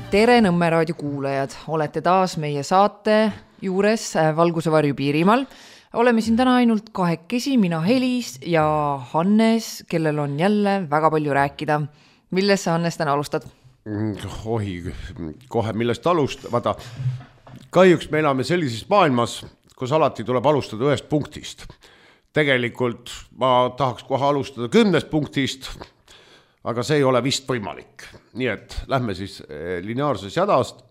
Tere Nõmme raadio kuulajad, olete taas meie saate juures Valguse varju Piirimaal. Oleme siin täna ainult kahekesi, mina Helis ja Hannes, kellel on jälle väga palju rääkida. Millest sa, Hannes, täna alustad? Kohe millest vaata, kahjuks me elame sellises maailmas, kus alati tuleb alustada ühest punktist. Tegelikult ma tahaks kohe alustada 10 punktist, aga see ei ole vist võimalik. Nii et lähme siis lineaarses jadast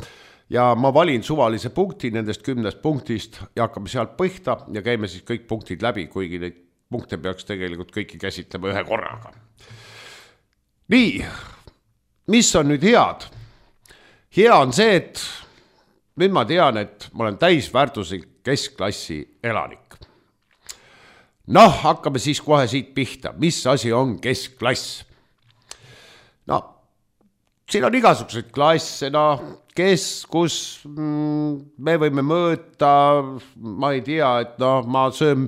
ja ma valin suvalise punkti nendest 10 punktist ja hakkame sealt põhta ja käime siis kõik punktid läbi, kuigi neid punkte peaks tegelikult kõiki käsitlema ühe korraga. Nii, mis on nüüd head? Hea on see, et nüüd ma tean, et ma olen täisväärtuslik keskklassi elanik. Noh, hakkame siis kohe siit pihta. Mis asi on keskklass? No, siin on igasugused klasse, kus me võime mõõta, ma ei tea, et ma söön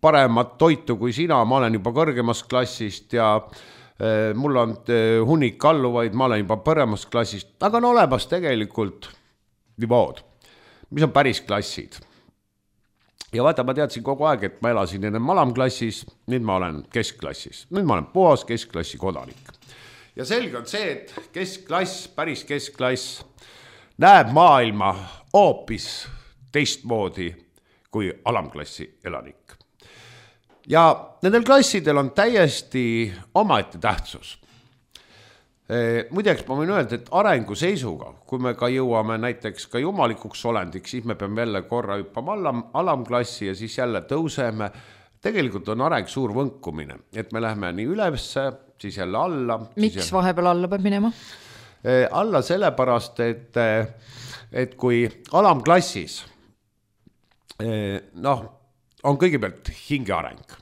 paremat toitu kui sina, ma olen juba kõrgemast klassist ja mul on hunnik alluvaid, ma olen juba paremast klassist, aga on olemas tegelikult nivood, mis on päris klassid. Ja vaata, ma teadsin kogu aeg, et ma elasin enne alamklassis, nüüd ma olen keskklassis, nüüd ma olen puhas keskklassi kodanik. Ja selge on see, et keskklass, päris keskklass näeb maailma hoopis teistmoodi kui alamklassi elanik. Ja nendel klassidel on täiesti omaette tähtsus. Muideks ma võin öelda, et arengu seisuga, kui me ka jõuame näiteks ka jumalikuks olendiks, siis me peame jälle korra hüppama alamklassi ja siis jälle tõuseme. Tegelikult on areng suur võnkumine, et me läheme nii ülesse, siis jälle alla. Miks vahepeal alla peab minema? Alla sellepärast, et kui alamklassis on kõigepealt hingeareng,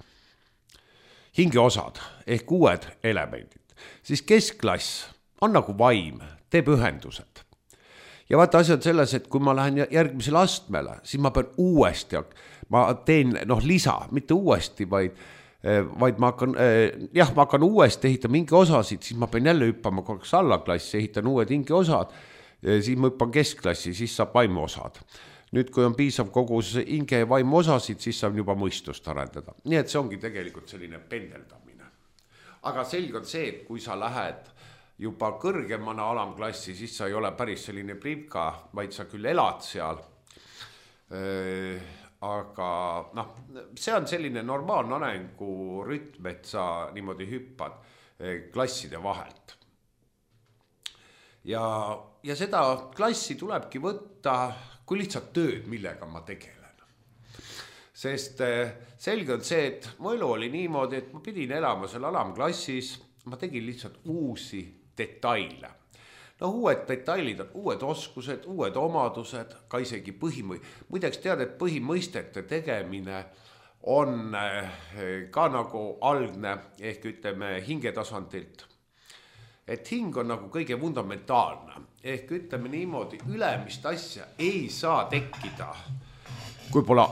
hingeosad ehk uued elemendid, siis keskklass on nagu vaim, teeb ühendused. Ja vaata, asi on selles, et kui ma lähen järgmisele astmele, siis ma pean uuesti, ma teen lisa, mitte uuesti, vaid ma hakkan uuesti ehitama hingeosasid, siis ma pean jälle hüppama korraks allaklassi, ehitan uued hingeosad, siis ma hüppan keskklassi, siis saab vaimuosad. Nüüd, kui on piisav kogus hinge ja vaimu osasid, siis saab juba mõistust arendada. Nii et see ongi tegelikult selline pendeldamine. Aga selge on see, et kui sa lähed juba kõrgemana alamklassi, siis sa ei ole päris selline privka, vaid sa küll elad seal. Aga see on selline normaalne arengurütm, et sa niimoodi hüppad klasside vahelt. Ja seda klassi tulebki võtta kui lihtsalt tööd, millega ma tegelen. Sest selge on see, et mu elu oli niimoodi, et ma pidin elama seal alamklassis, ma tegin lihtsalt uusi detaile. Uued detailid on uued oskused, uued omadused, ka isegi muideks tead, et põhimõistete tegemine on ka nagu algne, ehk ütleme hingetasandilt. Et hing on nagu kõige fundamentaalne, ehk ütleme niimoodi, ülemist asja ei saa tekkida, kui pole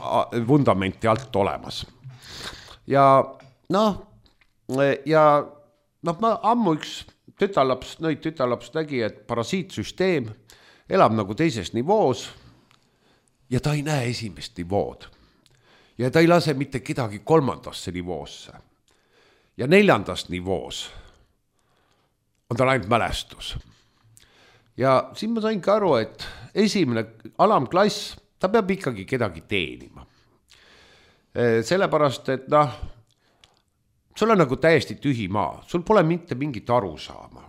vundamenti alt olemas. Ja ma ammu üks tütarlaps nägi, et parasiitsüsteem elab nagu teises nivoos ja ta ei näe esimest nivood. Ja ta ei lase mitte kedagi 3. nivoosse. Ja 4. nivoos on tal ainult mälestus. Ja siin ma sain ka aru, et esimene alamklass, ta peab ikkagi kedagi teenima. Sellepärast, et sul on nagu täiesti tühi maa, sul pole mitte mingit aru saama.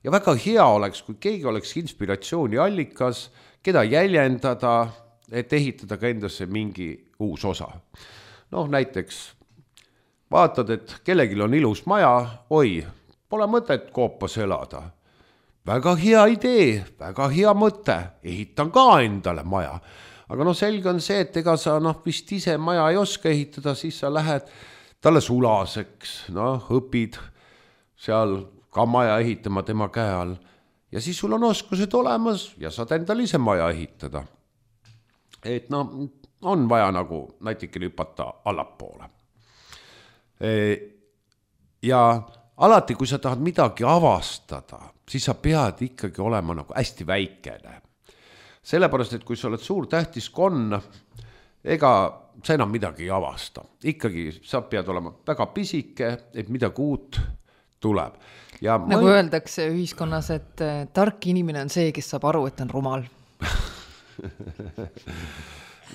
Ja väga hea oleks, kui keegi oleks inspiratsiooni allikas, keda jäljendada, et ehitada ka endasse mingi uus osa. Näiteks vaatad, et kellelgi on ilus maja, pole mõtet koopas elada. Väga hea idee, väga hea mõte, ehitan ka endale maja. Aga selge on see, et ega sa vist ise maja ei oska ehitada, siis sa lähed talle sulaseks, õpid seal ka maja ehitama tema käe all. Ja siis sul on oskused olemas ja saad endale ise maja ehitada. Et on vaja nagu näitikene hüpata allapoole. Ja alati, kui sa tahad midagi avastada, siis sa pead ikkagi olema nagu hästi väikene. Sellepärast, et kui sa oled suur tähtis konn, ega sa enam midagi ei avasta. Ikkagi sa pead olema väga pisike, et midagi uut tuleb. Ja nagu öeldakse ühiskonnas, et tark inimene on see, kes saab aru, et on rumal.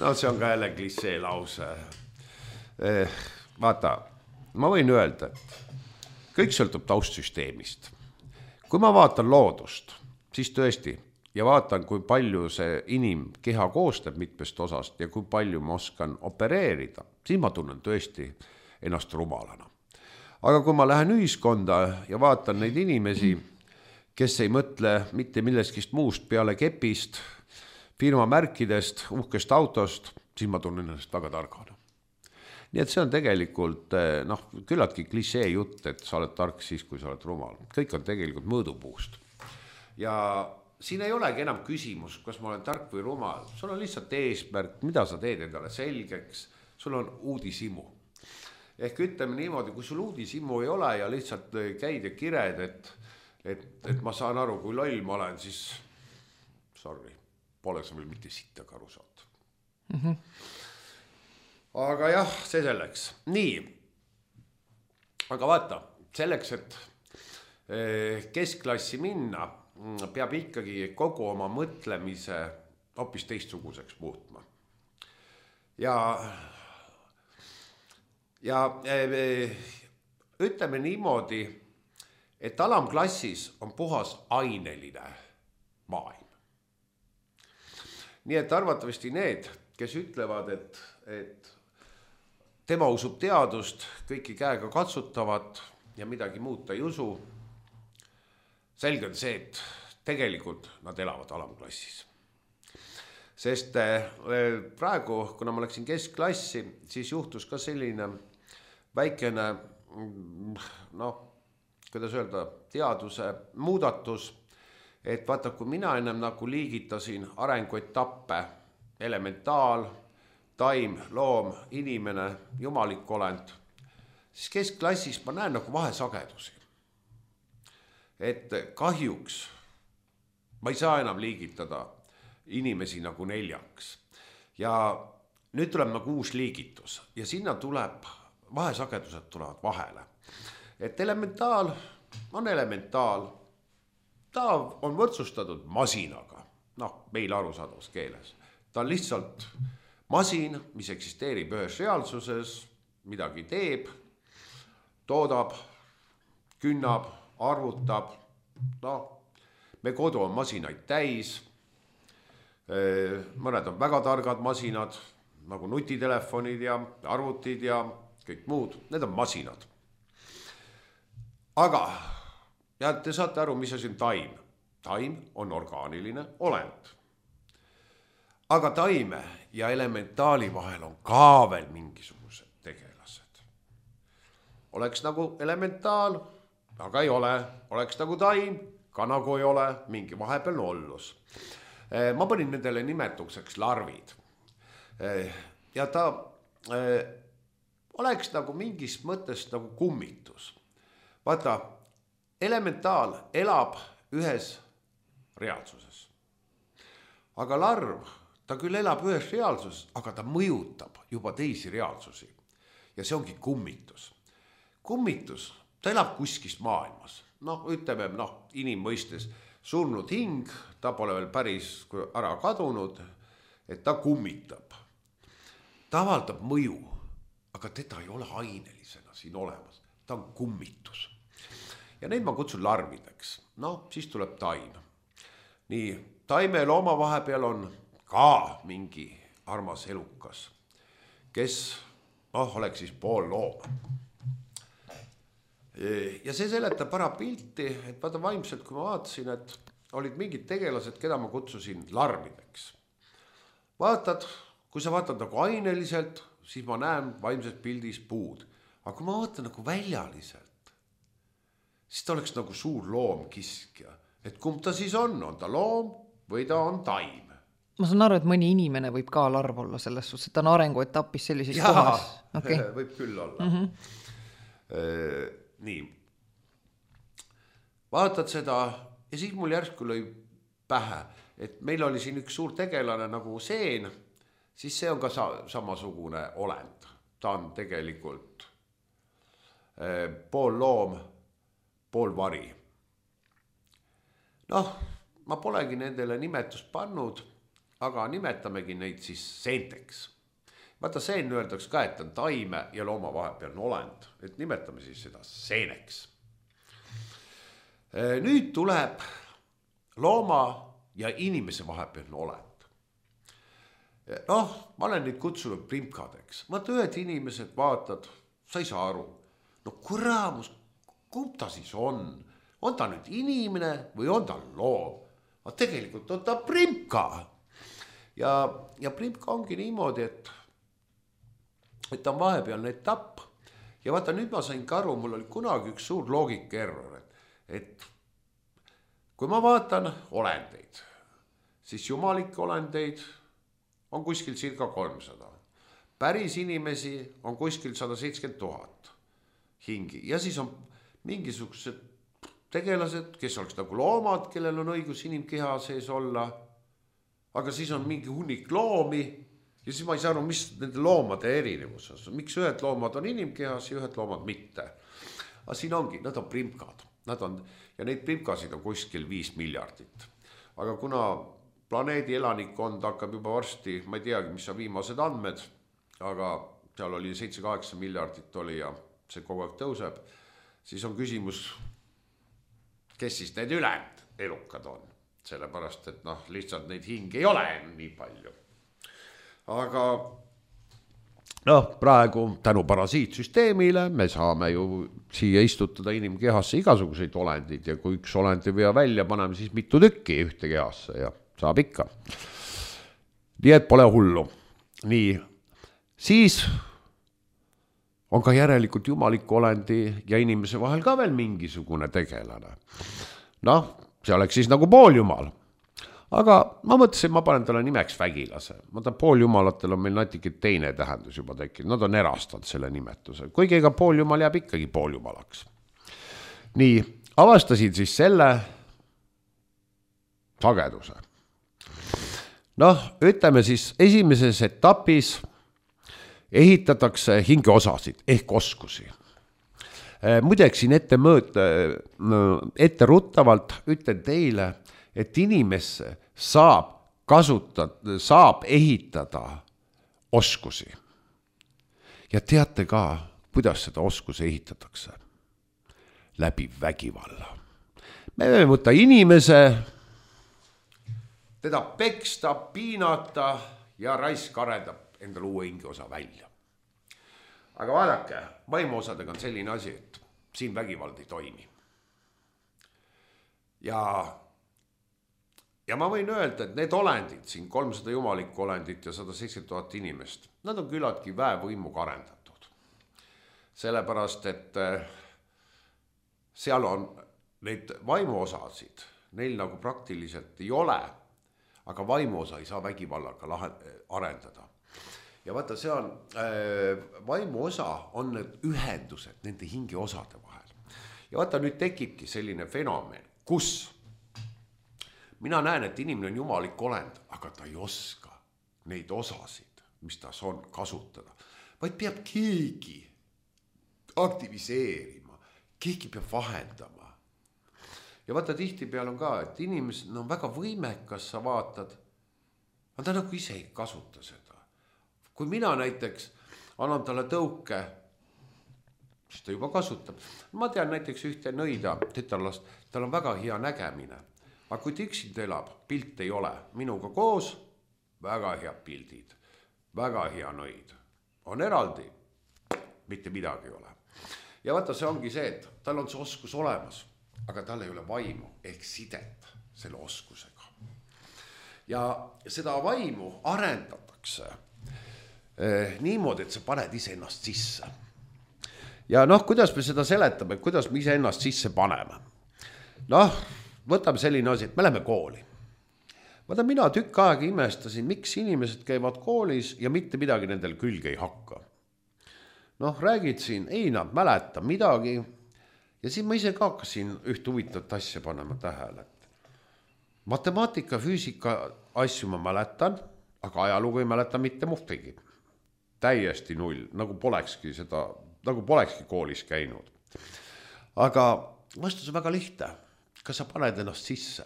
No see on ka jälle klissee lause. Vaata, ma võin öelda, et kõik sõltub taustsüsteemist. Kui ma vaatan loodust, siis tõesti, ja vaatan, kui palju see inimkeha koostab mitmest osast ja kui palju ma oskan opereerida, siis ma tunnen tõesti ennast rumalana. Aga kui ma lähen ühiskonda ja vaatan neid inimesi, kes ei mõtle mitte milleskist muust peale kepist, firma märkidest, uhkest autost, siis ma tunnen ennast väga targana. Nii et see on tegelikult küllaltki klissee jutt, et sa oled tark siis, kui sa oled rumal. Kõik on tegelikult mõõdupuust. Ja siin ei olegi enam küsimus, kas ma olen tark või rumal. Sul on lihtsalt eesmärk, mida sa teed endale selgeks, sul on uudishimu. Ehk ütleme niimoodi, kui sul uudishimu ei ole ja lihtsalt käid ja kired, et ma saan aru, kui loll ma olen, siis sorry, pole sa veel mitte sitta aru saanud. Aga jah, see selleks. Nii, aga vaata, selleks, et keskklassi minna, peab ikkagi kogu oma mõtlemise hoopis teistsuguseks muutma. Ja ütleme niimoodi, et alamklassis on puhas aineline maailm. Nii et arvatavasti need, kes ütlevad, et tema usub teadust, kõiki käega katsutavat ja midagi muud ta ei usu, selge on see, et tegelikult nad elavad alamklassis. Sest praegu, kuna ma läksin keskklassi, siis juhtus ka selline väikene, kuidas öelda, teaduse muudatus, et vaata, kui mina ennem nagu liigitasin arenguetappe, elementaal, taim, loom, inimene, jumalik olend, siis keskklassis ma näen nagu vahesagedusi. Et kahjuks ma ei saa enam liigitada inimesi nagu 4. Ja nüüd tuleb nagu uus liigitus ja sinna tuleb, vahesagedused tulevad vahele. Et elementaal on elementaal, ta on võrdsustatud masinaga, meil arusaadavas keeles. Ta on lihtsalt masin, mis eksisteerib ühes reaalsuses, midagi teeb, toodab, künnab, arvutab, me kodu on masinaid täis, mõned on väga targad masinad, nagu nutitelefonid ja arvutid ja kõik muud, need on masinad. Aga, ja te saate aru, mis asi on taim. Taim on orgaaniline olend. Aga taime ja elementaali vahel on ka veel mingisugused tegelased. Oleks nagu elementaal, aga ei ole. Oleks nagu taim, ka nagu ei ole, mingi vahepealne ollus. Ma panin nendele nimetuseks larvid. Ja ta oleks nagu mingis mõttes nagu kummitus. Vaata, elementaal elab ühes reaalsuses. Aga larv, ta küll elab ühes reaalsuses, aga ta mõjutab juba teisi reaalsusi. Ja see ongi kummitus. Kummitus, ta elab kuskis maailmas. Ütleme, inimmõistes surnud hing, ta pole veel päris ära kadunud, et ta kummitab. Ta avaldab mõju, aga teda ei ole ainelisena siin olemas. Ta on kummitus. Ja neid ma kutsun larvideks. Siis tuleb taim. Nii, taime ja looma vahepeal on ka mingi armas elukas, kes oleks siis pool looma. Ja see seletab ära pilti, et vaata vaimselt, kui ma vaatasin, et olid mingid tegelased, keda ma kutsusin larvideks. Vaatad, kui sa vaatad nagu aineliselt, siis ma näen vaimses pildis puud. Aga kui ma vaatan nagu väljaliselt, siis ta oleks nagu suur loomkiskja. Et kumb ta siis on ta loom või ta on taim? Ma saan aru, et mõni inimene võib ka larv olla selles suhtes, et ta on arenguetapis sellises kohas. Okay. Võib küll olla. Nii, vaatad seda ja siis mul järsku lõi pähe, et meil oli siin üks suur tegelane nagu seen, siis see on ka samasugune olend. Ta on tegelikult pool loom, pool vari. Noh, ma polegi nendele nimetust pannud, aga nimetamegi neid siis seenteks. Vaata, seen öeldaks ka, et on taime ja looma vahepealne olend, et nimetame siis seda seeneks. Nüüd tuleb looma ja inimese vahepealne olend. Noh, ma olen neid kutsunud primkadeks. Vaata, ühed inimesed vaatad, sa ei saa aru. No kuraamus, kumb ta siis on? On ta nüüd inimene või on ta loom? Aga tegelikult on ta primka. Ja primka ongi niimoodi, et ta on vahepealne etapp. Ja vaata, nüüd ma sain ka aru, mul oli kunagi üks suur loogikaerror, et kui ma vaatan olendeid, siis jumalikke olendeid on kuskil circa 300. Päris inimesi on kuskil 170 000 hingi. Ja siis on mingisugused tegelased, kes oleks nagu loomad, kellel on õigus inimkeha sees olla. Aga siis on mingi hunnik loomi ja siis ma ei saa aru, mis nende loomade erinevus on. Miks ühed loomad on inimkehas ja ühed loomad mitte. Aga siin ongi, nad on primkad. Ja neid primkasid on kuskil 5 miljardit. Aga kuna planeedi elanikkond hakkab juba varsti, ma ei teagi, mis on viimased andmed, aga seal oli 7-8 miljardit oli ja see kogu aeg tõuseb, siis on küsimus, kes siis need ülejäänud elukad on. Sellepärast, et lihtsalt neid hinge ei ole nii palju. Aga praegu tänu parasiitsüsteemile me saame ju siia istutada inimkehasse igasuguseid olendid ja kui üks olend ei vea välja, paneme siis mitu tükki ühte kehasse ja saab ikka. Nii et pole hullu. Nii, siis on ka järelikult jumaliku olendi ja inimese vahel ka veel mingisugune tegelane. See oleks siis nagu pooljumal. Aga ma mõtlesin, ma panen talle nimeks vägilase. Ma tahan pooljumalatel on meil natuke teine tähendus juba tekkinud. Nad on erastanud selle nimetuse. Kuigi ega pooljumal jääb ikkagi pooljumalaks. Nii, avastasin siis selle sageduse. Ütleme siis esimeses etapis ehitatakse hingeosasid ehk oskusi. Muideks siin ette ruttavalt ütlen teile, et inimesse saab ehitada oskusi. Ja teate ka, kuidas seda oskusi ehitatakse? Läbi vägivalla. Me võime võtta inimese, teda peksta, piinata ja raisk arendab endale uue hingeosa välja. Aga vaadake, vaimuosadega on selline asi, et siin vägivald ei toimi. Ja ma võin öelda, et need olendid, siin 300 jumalikku olendit ja 170 000 inimest, nad on küllaltki väevõimuga arendatud. Sellepärast, et seal on neid vaimuosasid, neil nagu praktiliselt ei ole, aga vaimuosa ei saa vägivallaga arendada. Ja vaata, see on, vaimuosa on need ühendused nende hingeosade vahel. Ja vaata, nüüd tekibki selline fenomen, kus mina näen, et inimene on jumalik olend, aga ta ei oska neid osasid, mis tas on, kasutada. Vaid peab keegi aktiviseerima, keegi peab vahendama. Ja vaata, tihti peal on ka, et inimesed on väga võimekas, sa vaatad, aga ta nagu ise ei kasuta seda. Kui mina näiteks annan talle tõuke, siis ta juba kasutab. Ma tean näiteks ühte nõida tütarlast, tal on väga hea nägemine. Aga kui ta üksinda elab, pilt ei ole. Minuga koos väga head pildid, väga hea nõid. On eraldi, mitte midagi ei ole. Ja vaata, see ongi see, et tal on see oskus olemas, aga tal ei ole vaimu ehk sidet selle oskusega. Ja seda vaimu arendatakse niimoodi, et sa paned ise ennast sisse. Ja kuidas me seda seletame, kuidas me ise ennast sisse paneme? Võtame selline asi, et me läheme kooli. Vaata, mina tükk aega imestasin, miks inimesed käivad koolis ja mitte midagi nendel külge ei hakka. Räägid siin, ei nad mäleta midagi Ja siis ma ise ka hakkasin üht huvitavat asja panema tähele. Matemaatika, füüsika asju ma mäletan, aga ajalugu ei mäleta mitte muhtegi. Täiesti null, nagu polekski koolis käinud. Aga vastus on väga lihtne. Kas sa paned ennast sisse?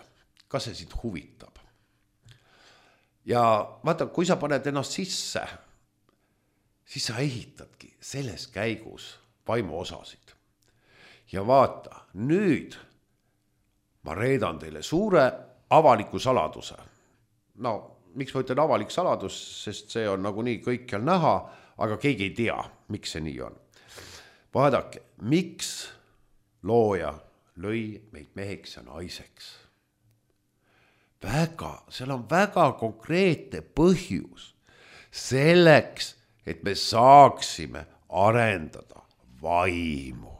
Kas see sind huvitab? Ja vaata, kui sa paned ennast sisse, siis sa ehitadki selles käigus vaimuosasid. Ja vaata, nüüd ma reedan teile suure avaliku saladuse. No, miks ma ütlen avalik saladus, sest see on nagu nii kõikjal näha, aga keegi ei tea, miks see nii on. Vaadake, miks looja lõi meid meheks ja naiseks? Seal on väga konkreetne põhjus selleks, et me saaksime arendada vaimu.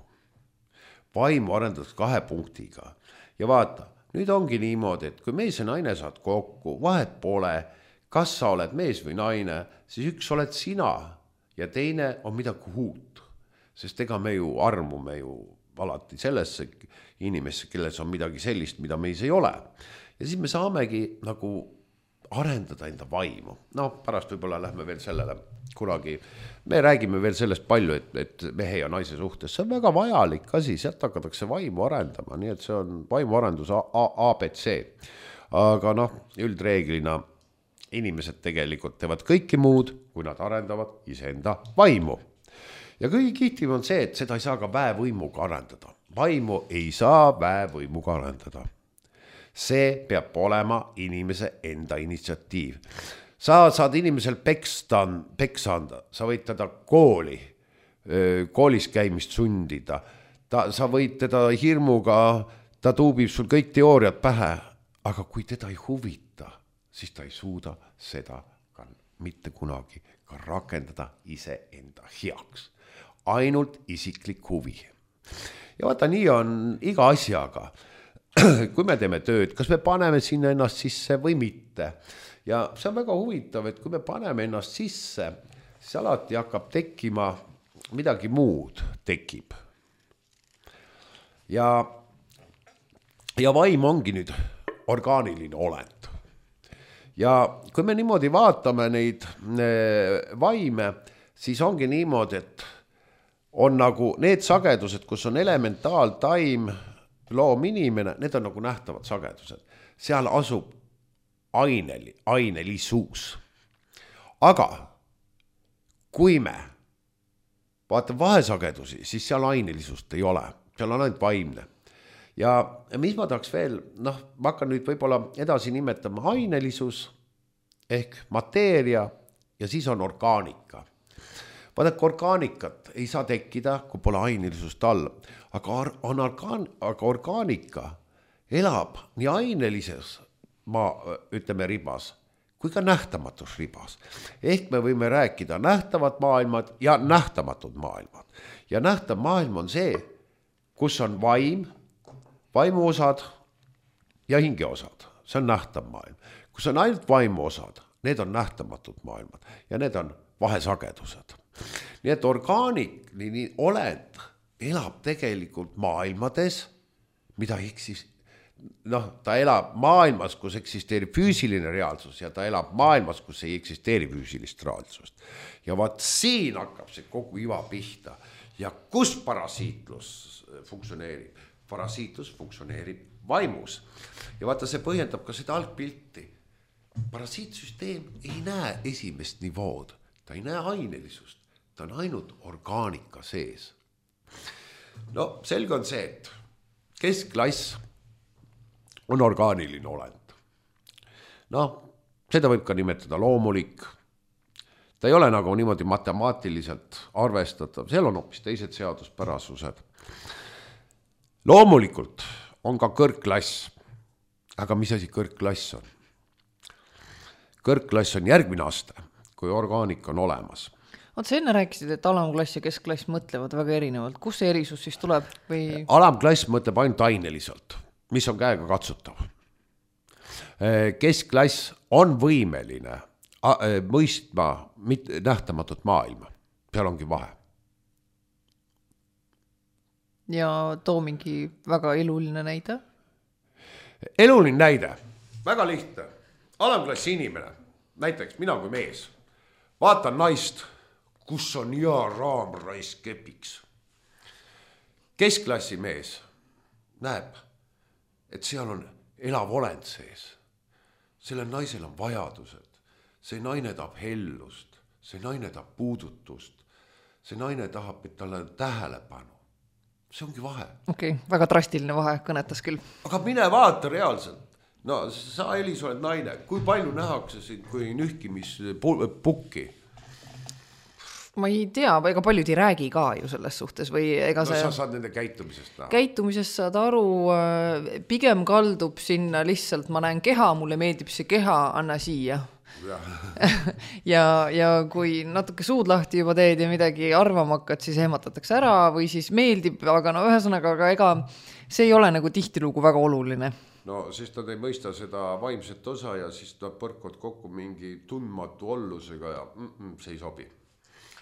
Vaimu arendatakse 2 punktiga. Ja vaata, nüüd ongi niimoodi, et kui mees ja naine saad kokku, vahet pole, kas sa oled mees või naine, siis üks oled sina ja teine on midagi uut. Sest ega me ju armume ju alati sellesse inimesse, kelles on midagi sellist, mida meis ei ole. Ja siis me saamegi nagu arendada enda vaimu. No pärast võib-olla lähme veel sellele kunagi. Me räägime veel sellest palju, et mehe ja naise suhtes. See on väga vajalik asi, sealt hakatakse vaimu arendama. Nii et see on vaimuarendus ABC. Aga üldreeglina inimesed tegelikult teevad kõike muud, kui nad arendavad iseenda vaimu. Ja kõige kihtim on see, et seda ei saa ka väevõimuga arendada. Vaimu ei saa väevõimuga arendada. See peab olema inimese enda initsiatiiv. Sa saad inimesel peksa anda, sa võid teda koolis käimist sundida, sa võid teda hirmuga, ta tuubib sul kõik teooriad pähe, aga kui teda ei huvita, siis ta ei suuda seda ka mitte kunagi ka rakendada iseenda heaks. Ainult isiklik huvi. Ja vaata, nii on iga asjaga. Kui me teeme tööd, kas me paneme sinna ennast sisse või mitte. Ja see on väga huvitav, et kui me paneme ennast sisse, siis alati hakkab tekkima midagi muud tekib. Ja vaim ongi nüüd orgaaniline olend. Ja kui me niimoodi vaatame neid vaime, siis ongi niimoodi, et on nagu need sagedused, kus on elementaaltaim, loom inimene, need on nagu nähtavad sagedused. Seal asub ainelisus. Aga kui me vaatame vahesagedusi, siis seal ainelisust ei ole. Seal on ainult vaimne. Ja mis ma tahaks veel, ma hakkan nüüd võib-olla edasi nimetama ainelisus ehk mateeria ja siis on orgaanika. Vaadake, orgaanikat ei saa tekkida, kui pole ainelisust all. Aga orgaanika elab nii ainelises ribas kui ka nähtamatus ribas. Ehk me võime rääkida nähtavad maailmad ja nähtamatud maailmad. Ja nähtav maailm on see, kus on vaimuosad ja hingeosad. See on nähtav maailm. Kus on ainult vaimuosad, need on nähtamatud maailmad ja need on vahesagedused. Nii et orgaaniline olend elab tegelikult maailmades, mida ta elab maailmas, kus eksisteerib füüsiline reaalsus ja ta elab maailmas, kus ei eksisteeri füüsilist reaalsust. Ja vaat siin hakkab see kogu iva pihta. Ja kus parasiitlus funktsioneerib? Parasiitlus funktsioneerib vaimus. Ja vaata, see põhjendab ka seda algpilti. Parasiitsüsteem ei näe esimest nivood. Ta ei näe ainelisust. Ta on ainult orgaanika sees. No selge on see, et keskklass on orgaaniline olend. Seda võib ka nimetada loomulik. Ta ei ole nagu niimoodi matemaatiliselt arvestatav. Seal on hoopis teised seaduspärasused. Loomulikult on ka kõrgklass. Aga mis asi kõrgklass on? Kõrgklass on järgmine aste, kui orgaanika on olemas. Sa enne rääkisid, et alamklass ja keskklass mõtlevad väga erinevalt. Kus see erisus siis tuleb? Või... Alamklass mõtleb ainult aineliselt, mis on käega katsutav. Keskklass on võimeline mõistma nähtamatut maailma. Seal ongi vahe. ja too mingi väga eluline näide. Eluline näide, väga lihtne. Alamklassi inimene, näiteks mina kui mees, vaatan naist, kus on hea raamraisk kepiks. Keskklassi mees näeb, et seal on elav olend sees. Sellel naisel on vajadused. See naine tahab hellust, see naine tahab puudutust, see naine tahab, et talle tähelepanu. See ongi vahe. Okei, väga drastiline vahe, kõnetas küll. Aga mine vaata reaalselt. No sa, Elis, oled naine. Kui palju nähakse sind kui nühkimispukki? Ma ei tea, ega paljud ei räägi ka ju selles suhtes või ega see... No sa saad nende käitumisest näha. Käitumisest saad aru, pigem kaldub sinna lihtsalt, ma näen keha, mulle meeldib see keha, anna siia. ja kui natuke suud lahti juba teed ja midagi arvama hakkad, siis ehmatatakse ära või siis meeldib, aga no ühesõnaga, aga ega see ei ole nagu tihtilugu väga oluline. No siis ta ei mõista seda vaimset osa ja siis ta põrkod kokku mingi tundmatu ollusega ja see ei sobi.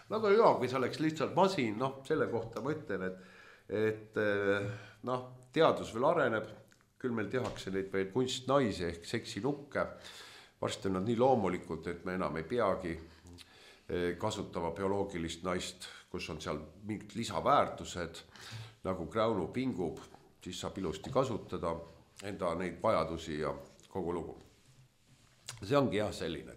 Aga joo, kui sa oleks lihtsalt masin, selle kohta ma ütlen, et teadus veel areneb, küll meil tehakse neid veel kunstnaisi ehk seksinukke. Varsti on nad nii loomulikud, et me enam ei peagi kasutama bioloogilist naist, kus on seal mingid lisaväärtused, nagu Kräunu pingub, siis saab ilusti kasutada enda neid vajadusi ja kogu lugu. See ongi jah selline,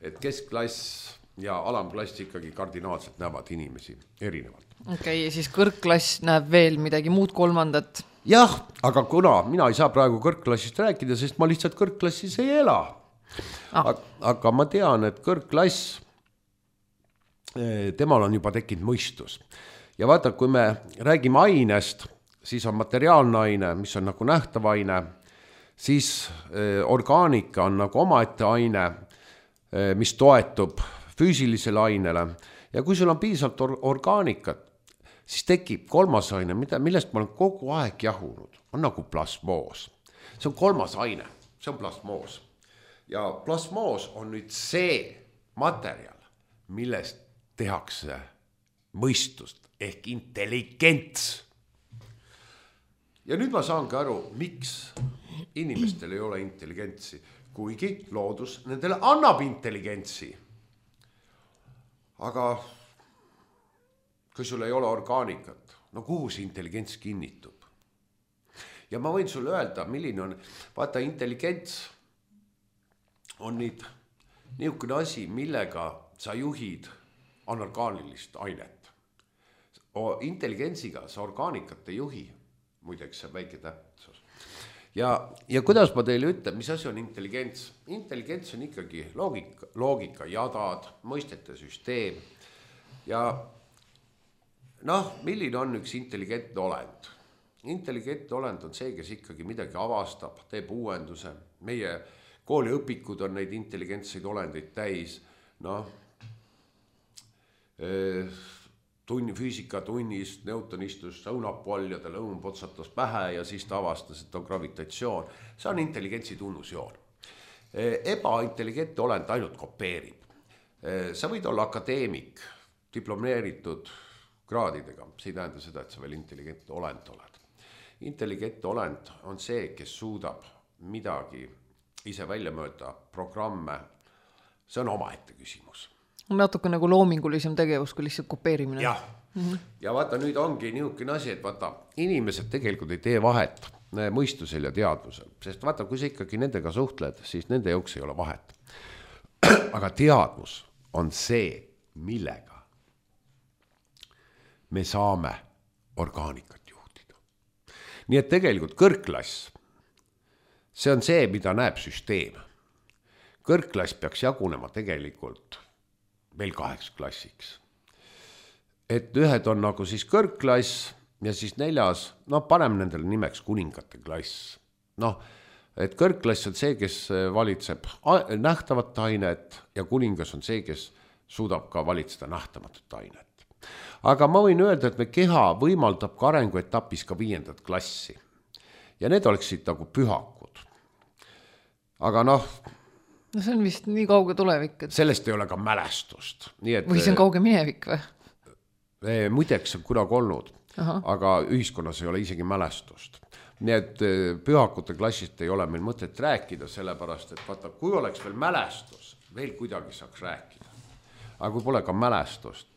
et keskklass ja alamklass ikkagi kardinaalselt näevad inimesi erinevalt. Okei, siis kõrgklass näeb veel midagi muud kolmandat. Jah, aga kuna mina ei saa praegu kõrgklassist rääkida, sest ma lihtsalt kõrgklassis ei ela. Aga ma tean, et kõrgklass, temal on juba tekkinud mõistus. Ja vaata, kui me räägime ainest, siis on materiaalne aine, mis on nagu nähtav aine, siis orgaanika on nagu omaette aine, mis toetub füüsilisele ainele. Ja kui sul on piisavalt orgaanikat, siis tekib kolmas aine, millest ma olen kogu aeg jahunud, on nagu plasmoos. See on kolmas aine, see on plasmoos. Ja plasmoos on nüüd see materjal, millest tehakse mõistust ehk intelligents. Ja nüüd ma saangi aru, miks inimestel ei ole intelligentsi, kuigi loodus nendele annab intelligentsi. Aga kui sul ei ole orgaanikat, no kuhu see intelligents kinnitub? Ja ma võin sulle öelda, milline on, vaata intelligents on nüüd niisugune asi, millega sa juhid anorgaanilist ainet. Intelligentsiga sa orgaanikat ei juhi, muideks see väike täpsus. Ja kuidas ma teile ütlen, mis asi on intelligents? Intelligents on ikkagi loogika jadad, mõistete süsteem ja milline on üks intelligentne olend? Intelligentne olend on see, kes ikkagi midagi avastab, teeb uuenduse, meie kooliõpikud on neid intelligentseid olendeid täis, füüsikatunnis Newton istus õunapoll ja talle õun potsatas pähe ja siis ta avastas, et on gravitatsioon. See on intelligentsi tunnusjoon. Ebaintelligentne olend ainult kopeerib. Sa võid olla akadeemik, diplomeeritud kraadidega, see ei tähenda seda, et sa veel intelligentne olend oled. Intelligentne olend on see, kes suudab midagi ise välja mööda programme, see on omaette küsimus. Natuke nagu loomingulisem tegevus, kui lihtsalt kopeerimine. Jah, ja vaata nüüd ongi niisugune asi, et vaata, inimesed tegelikult ei tee vahet mõistusel ja teadvusel, sest vaata, kui sa ikkagi nendega suhtled, siis nende jooks ei ole vahet. Aga teadvus on see, millega me saame orgaanikat juhtida. Nii et tegelikult kõrgklass, see on see, mida näeb süsteem. Kõrgklass peaks jagunema tegelikult veel 8 klassiks. Et ühed on nagu siis kõrgklass ja siis 4, paneme nendele nimeks kuningate klass. Et kõrgklass on see, kes valitseb nähtavat ainet ja kuningas on see, kes suudab ka valitseda nähtamatut ainet. Aga ma võin öelda, et me keha võimaldab ka arenguetapis ka 5. klassi. Ja need oleksid nagu pühakud. Aga see on vist nii kauge tulevik. Et... Sellest ei ole ka mälestust. Nii et, või see on kauge minevik või? Muideks on kunagi olnud. aga ühiskonnas ei ole isegi mälestust. Nii et pühakute klassist ei ole meil mõtet rääkida, sellepärast, et vaata, kui oleks veel mälestus, veel kuidagi saaks rääkida. Aga kui pole ka mälestust.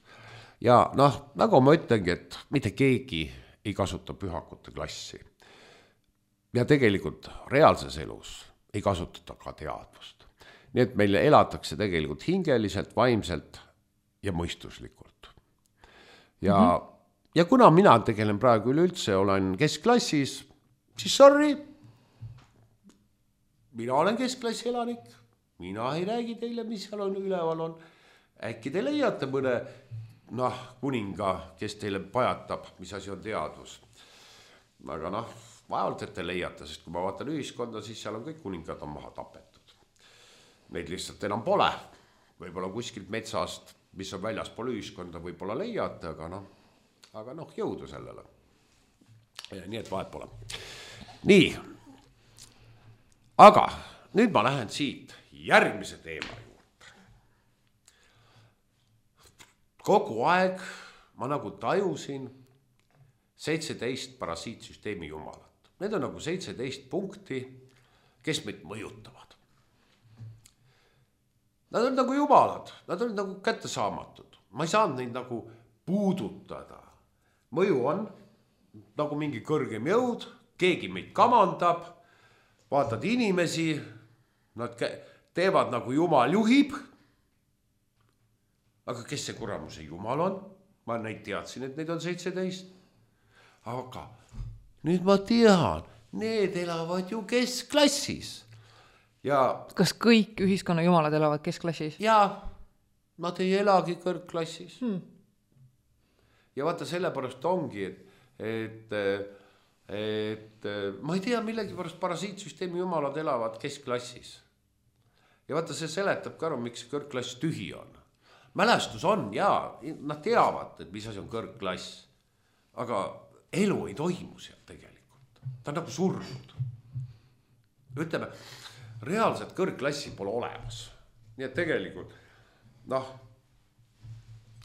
Ja nagu ma ütlengi, et mitte keegi ei kasuta pühakute klassi. Ja tegelikult reaalses elus ei kasutata ka teadvust. Nii et meil elatakse tegelikult hingeliselt, vaimselt ja mõistuslikult. Ja kuna mina tegelen praegu üleüldse, olen keskklassis, siis sorry, mina olen keskklassi elanik, mina ei räägi teile, mis seal on üleval on. Äkki te leiate mõne kuninga, kes teile pajatab, mis asi on teadvus. Aga vaevalt, et te leiate, sest kui ma vaatan ühiskonda, siis seal on kõik kuningad on maha tapetud. Neid lihtsalt enam pole. Võib-olla kuskilt metsast, mis on väljaspool ühiskonda, võib-olla leiate, aga jõudu sellele. Nii et vahet pole. Nii, aga nüüd ma lähen siit järgmise teema juurde. Kogu aeg ma nagu tajusin 17 parasiitsüsteemi jumalat. Need on nagu 17 punkti, kes meid mõjutavad. Nad on nagu jumalad, nad on nagu kättesaamatud. Ma ei saanud neid nagu puudutada. Mõju on nagu mingi kõrgem jõud, keegi meid kamandab, vaatad inimesi, nad teevad nagu jumal juhib. Aga kes see kuramuse jumal on? Ma neid teadsin, et neid on 17. Aga nüüd ma tean, need elavad ju keskklassis. Ja kas kõik ühiskonna jumalad elavad keskklassis? Jaa, nad ei elagi kõrgklassis. Ja vaata sellepärast ongi, et ma ei tea, millegi pärast parasiitsüsteemi jumalad elavad keskklassis. Ja vaata, see seletab ka aru, miks kõrgklass tühi on. Mälestus on, jaa, nad teavad, et mis asi on kõrgklass. Aga elu ei toimu seal tegelikult. Ta on nagu surnud. Ütleme, reaalselt kõrgklassi pole olemas. Nii et tegelikult,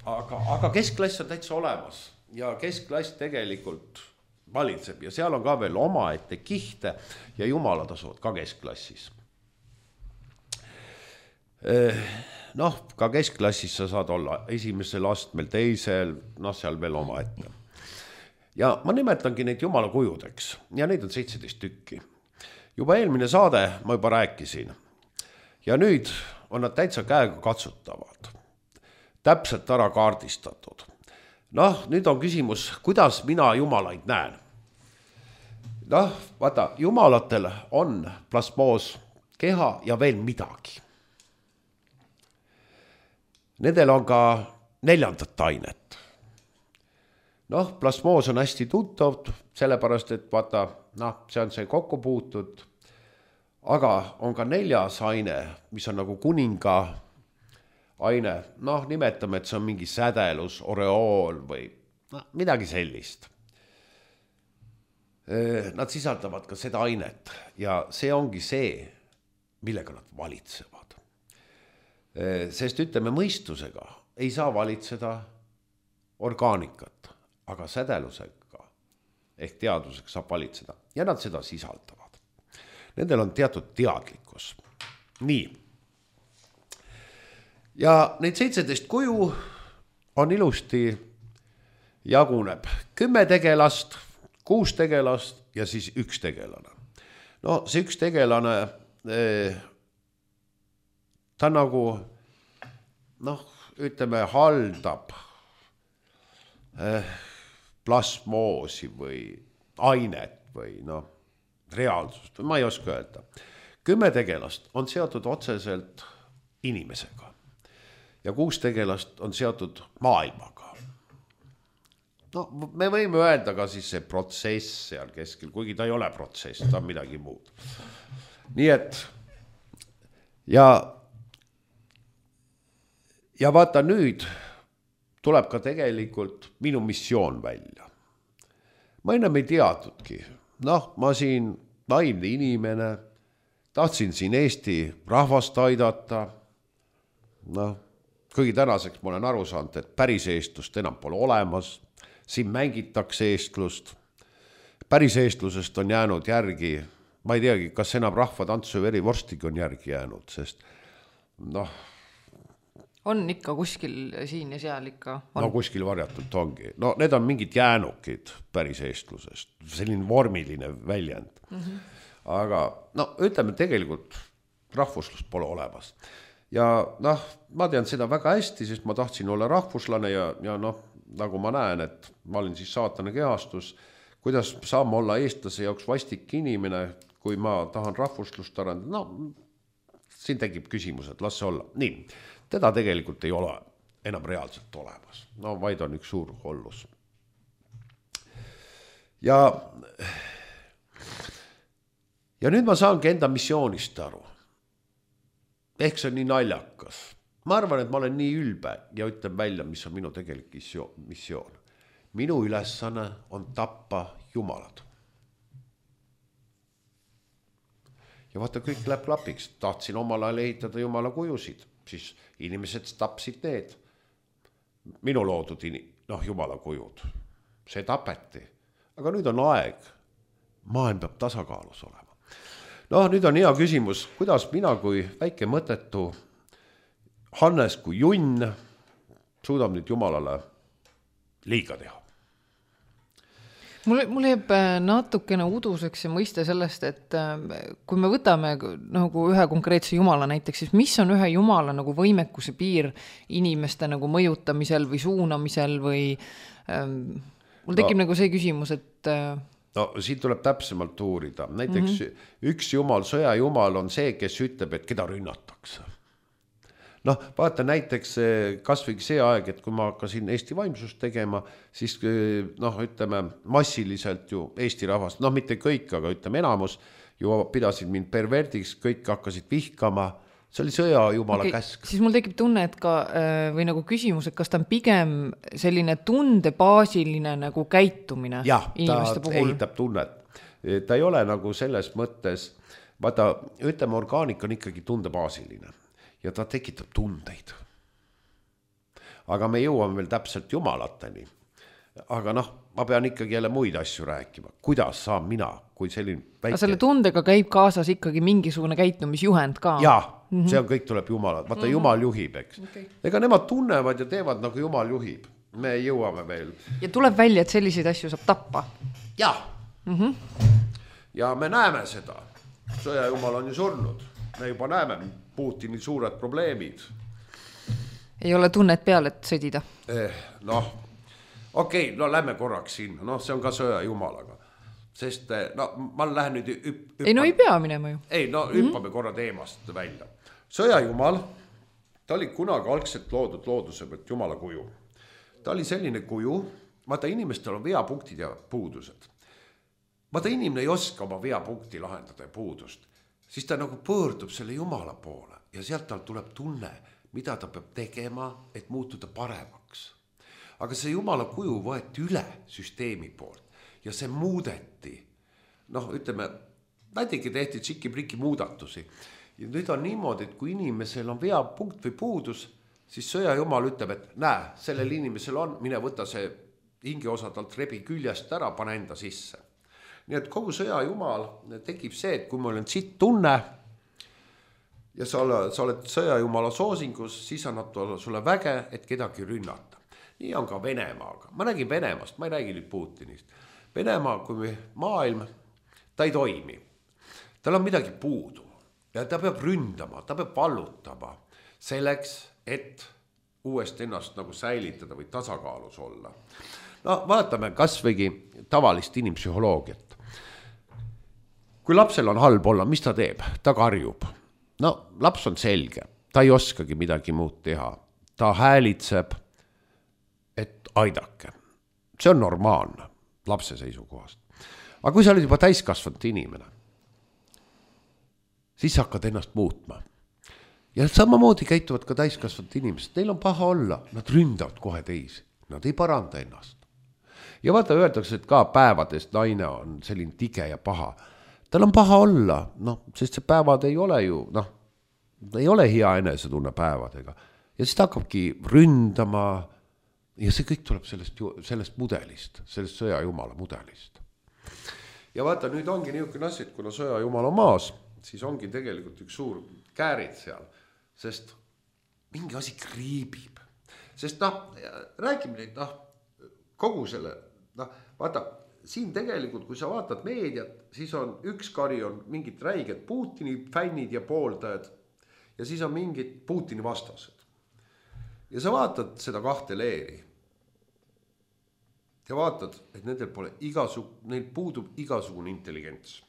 aga keskklass on täitsa olemas. Ja keskklass tegelikult valitseb ja seal on ka veel omaette kihte ja jumalad asuvad ka keskklassis. Ka keskklassis sa saad olla esimesel astmel, teisel, seal veel omaette. Ja ma nimetangi neid jumala kujudeks ja neid on 17 tükki. Juba eelmine saade ma juba rääkisin ja nüüd on nad täitsa käega katsutavad. Täpselt ära kaardistatud. Nüüd on küsimus, kuidas mina jumalaid näen. Vaata, jumalatel on plasmoos keha ja veel midagi. Nendel on ka 4. ainet. Plasmoos on hästi tuttav, sellepärast, et vaata, see on see kokku puutud, aga on ka 4. aine, mis on nagu kuninga aine, nimetame, et see on mingi sädelus, oreool või midagi sellist. Nad sisaldavad ka seda ainet ja see ongi see, millega nad valitsevad. Sest ütleme, mõistusega ei saa valitseda orgaanikat, aga sädelusega ehk teadvusega saab valitseda ja nad seda sisaldavad. Nendel on teatud teadlikkus. Nii. Ja neid 17 kuju on ilusti jaguneb 10 tegelast, 6 tegelast ja siis 1 tegelane. See 1 tegelane, ta nagu, ütleme, haldab plasmoosi või ainet või reaalsust, ma ei oska öelda. 10 tegelast on seotud otseselt inimesega. Ja 6 tegelast on seotud maailmaga. Me võime öelda ka siis see protsess seal keskel, kuigi ta ei ole protsess, ta on midagi muud. Nii et, ja vaata nüüd tuleb ka tegelikult minu missioon välja. Ma ennem ei teadnudki. Ma siin vaimne inimene, tahtsin siin Eesti rahvast aidata, kuigi tänaseks ma olen aru saanud, et päris eestlust enam pole olemas, siin mängitakse eestlust. Päris eestlusest on jäänud järgi, ma ei teagi, kas enam rahvatantsu verivorstiga on järgi jäänud, sest noh, on ikka kuskil siin ja seal ikka on. No kuskil varjatult ongi. No need on mingid jäänukid päris eestlusest, selline vormiline väljend. Aga no ütleme tegelikult rahvuslust pole olemas. Ja noh, ma tean seda väga hästi, sest ma tahtsin olla rahvuslane ja noh, nagu ma näen, et ma olin siis saatana kehastus, kuidas saan ma olla eestlase jaoks vastik inimene, kui ma tahan rahvuslust arendada. No, siin tekib küsimus, et las see olla. Nii, teda tegelikult ei ole enam reaalselt olemas. No vaid on üks suur hollus. Ja nüüd ma saangi enda missioonist aru. Ehk see on nii naljakas. Ma arvan, et ma olen nii ülbe ja ütlen välja, mis on minu tegelik missioon. Minu ülesanne on tappa jumalad. Ja vaata, kõik läheb klapiks. Tahtsin omal ajal ehitada jumala kujusid, siis inimesed tapsid need. Minu loodud jumala kujud. See tapeti. Aga nüüd on aeg. Maailm peab tasakaalus olema. No nüüd on hea küsimus, kuidas mina kui väike mõttetu Hannes kui junn suudab nüüd jumalale liiga teha. Mul jääb natukene uduseks see mõiste sellest, et kui me võtame nagu ühe konkreetse jumala näiteks, siis mis on ühe jumala nagu võimekuse piir inimeste nagu mõjutamisel või suunamisel või mul tekib nagu see küsimus, et no siin tuleb täpsemalt uurida. Näiteks üks jumal, sõjajumal on see, kes ütleb, et keda rünnatakse. Noh, vaata näiteks kas või see aeg, et kui ma hakkasin Eesti vaimsust tegema, siis ütleme massiliselt ju Eesti rahvast, mitte kõik, aga ütleme enamus ju pidasid mind perverdiks, kõik hakkasid vihkama. See oli sõjajumala käsk. Siis mul tekib tunne, et ka, või nagu küsimus, et kas ta on pigem selline tundebaasiline nagu käitumine inimeste puhul? Ja, ta ehitab tunnet. Ta ei ole nagu selles mõttes, vaata, ütleme, orgaanik on ikkagi tundebaasiline ja ta tekitab tundeid. Aga me jõuame veel täpselt jumalateni. Aga ma pean ikkagi jälle muid asju rääkima. Kuidas saan mina, kui selline väike... Aga selle tundega käib kaasas ikkagi mingisugune käitumisjuhend ka? Jaa, see on kõik tuleb Jumalad. Vaata, Jumal juhib, eks. Okay. Ega nemad tunnevad ja teevad nagu Jumal juhib. Me jõuame veel. Ja tuleb välja, et selliseid asju saab tappa? Jaa. Ja me näeme seda. Sõjajumal on ju surnud. Me juba näeme Putini suured probleemid. Ei ole tunnet peal, et sõdida? Okei, lähme korraks sinna. See on ka sõjajumalaga. Sest ma lähen nüüd ei pea minema ju. Ei, hüppame korra teemast välja. Sõjajumal, ta oli kunagi algselt loodud looduse pealt jumala kuju. Ta oli selline kuju, vaata inimestel on veapunktid ja puudused. Vaata inimene ei oska oma veapunkti lahendada ja puudust. Siis ta nagu pöördub selle jumala poole ja sealt tal tuleb tunne, mida ta peab tegema, et muutuda paremaks. Aga see jumala kuju võeti üle süsteemi poolt ja see muudeti. Ütleme, näitegi tehti tšiki-priki muudatusi. Ja nüüd on niimoodi, et kui inimesel on veapunkt või puudus, siis sõjajumal ütleb, et näe, sellel inimesel on, mine võta see hingeosa talt rebi küljest ära, pane enda sisse. Nii et kogu sõjajumal tekib see, et kui mul on siit tunne ja sa oled sõjajumala soosingus, siis annab sulle väge, et kedagi rünnata. Nii on ka Venemaaga. Ma räägin Venemaast, ma ei räägi nüüd Putinist. Venemaa kui maailm, ta ei toimi. Tal on midagi puudu ja ta peab ründama, ta peab vallutama selleks, et uuesti ennast nagu säilitada või tasakaalus olla. Vaatame kas võigi tavalist inimpsühholoogiat. Kui lapsel on halb olla, mis ta teeb? Ta karjub. Laps on selge, ta ei oskagi midagi muud teha. Ta häälitseb, et aidake. See on normaalne lapse seisukohast. Aga kui sa oled juba täiskasvanud inimene, siis hakkad ennast muutma. Ja samamoodi käituvad ka täiskasvanud inimesed. Neil on paha olla, nad ründavad kohe teisi. Nad ei paranda ennast. Ja vaata, öeldakse, et ka päevadest naine on selline tige ja paha. Tal on paha olla, sest see päevad ei ole ju, ei ole hea enesetunne päevadega. Ja siis ta hakkabki ründama ja see kõik tuleb sellest mudelist, sellest sõjajumala mudelist. Ja vaata, nüüd ongi niisugune asi, et kuna sõjajumal on maas, siis ongi tegelikult üks suur käärid seal, sest mingi asi kriibib. Sest räägime neid, kogu selle, vaata, siin tegelikult, kui sa vaatad meediat, siis on üks kari on mingid räiged Putini fännid ja pooldajad ja siis on mingid Putini vastased. Ja sa vaatad seda kahte leeri ja vaatad, et neil puudub igasugune intelligents.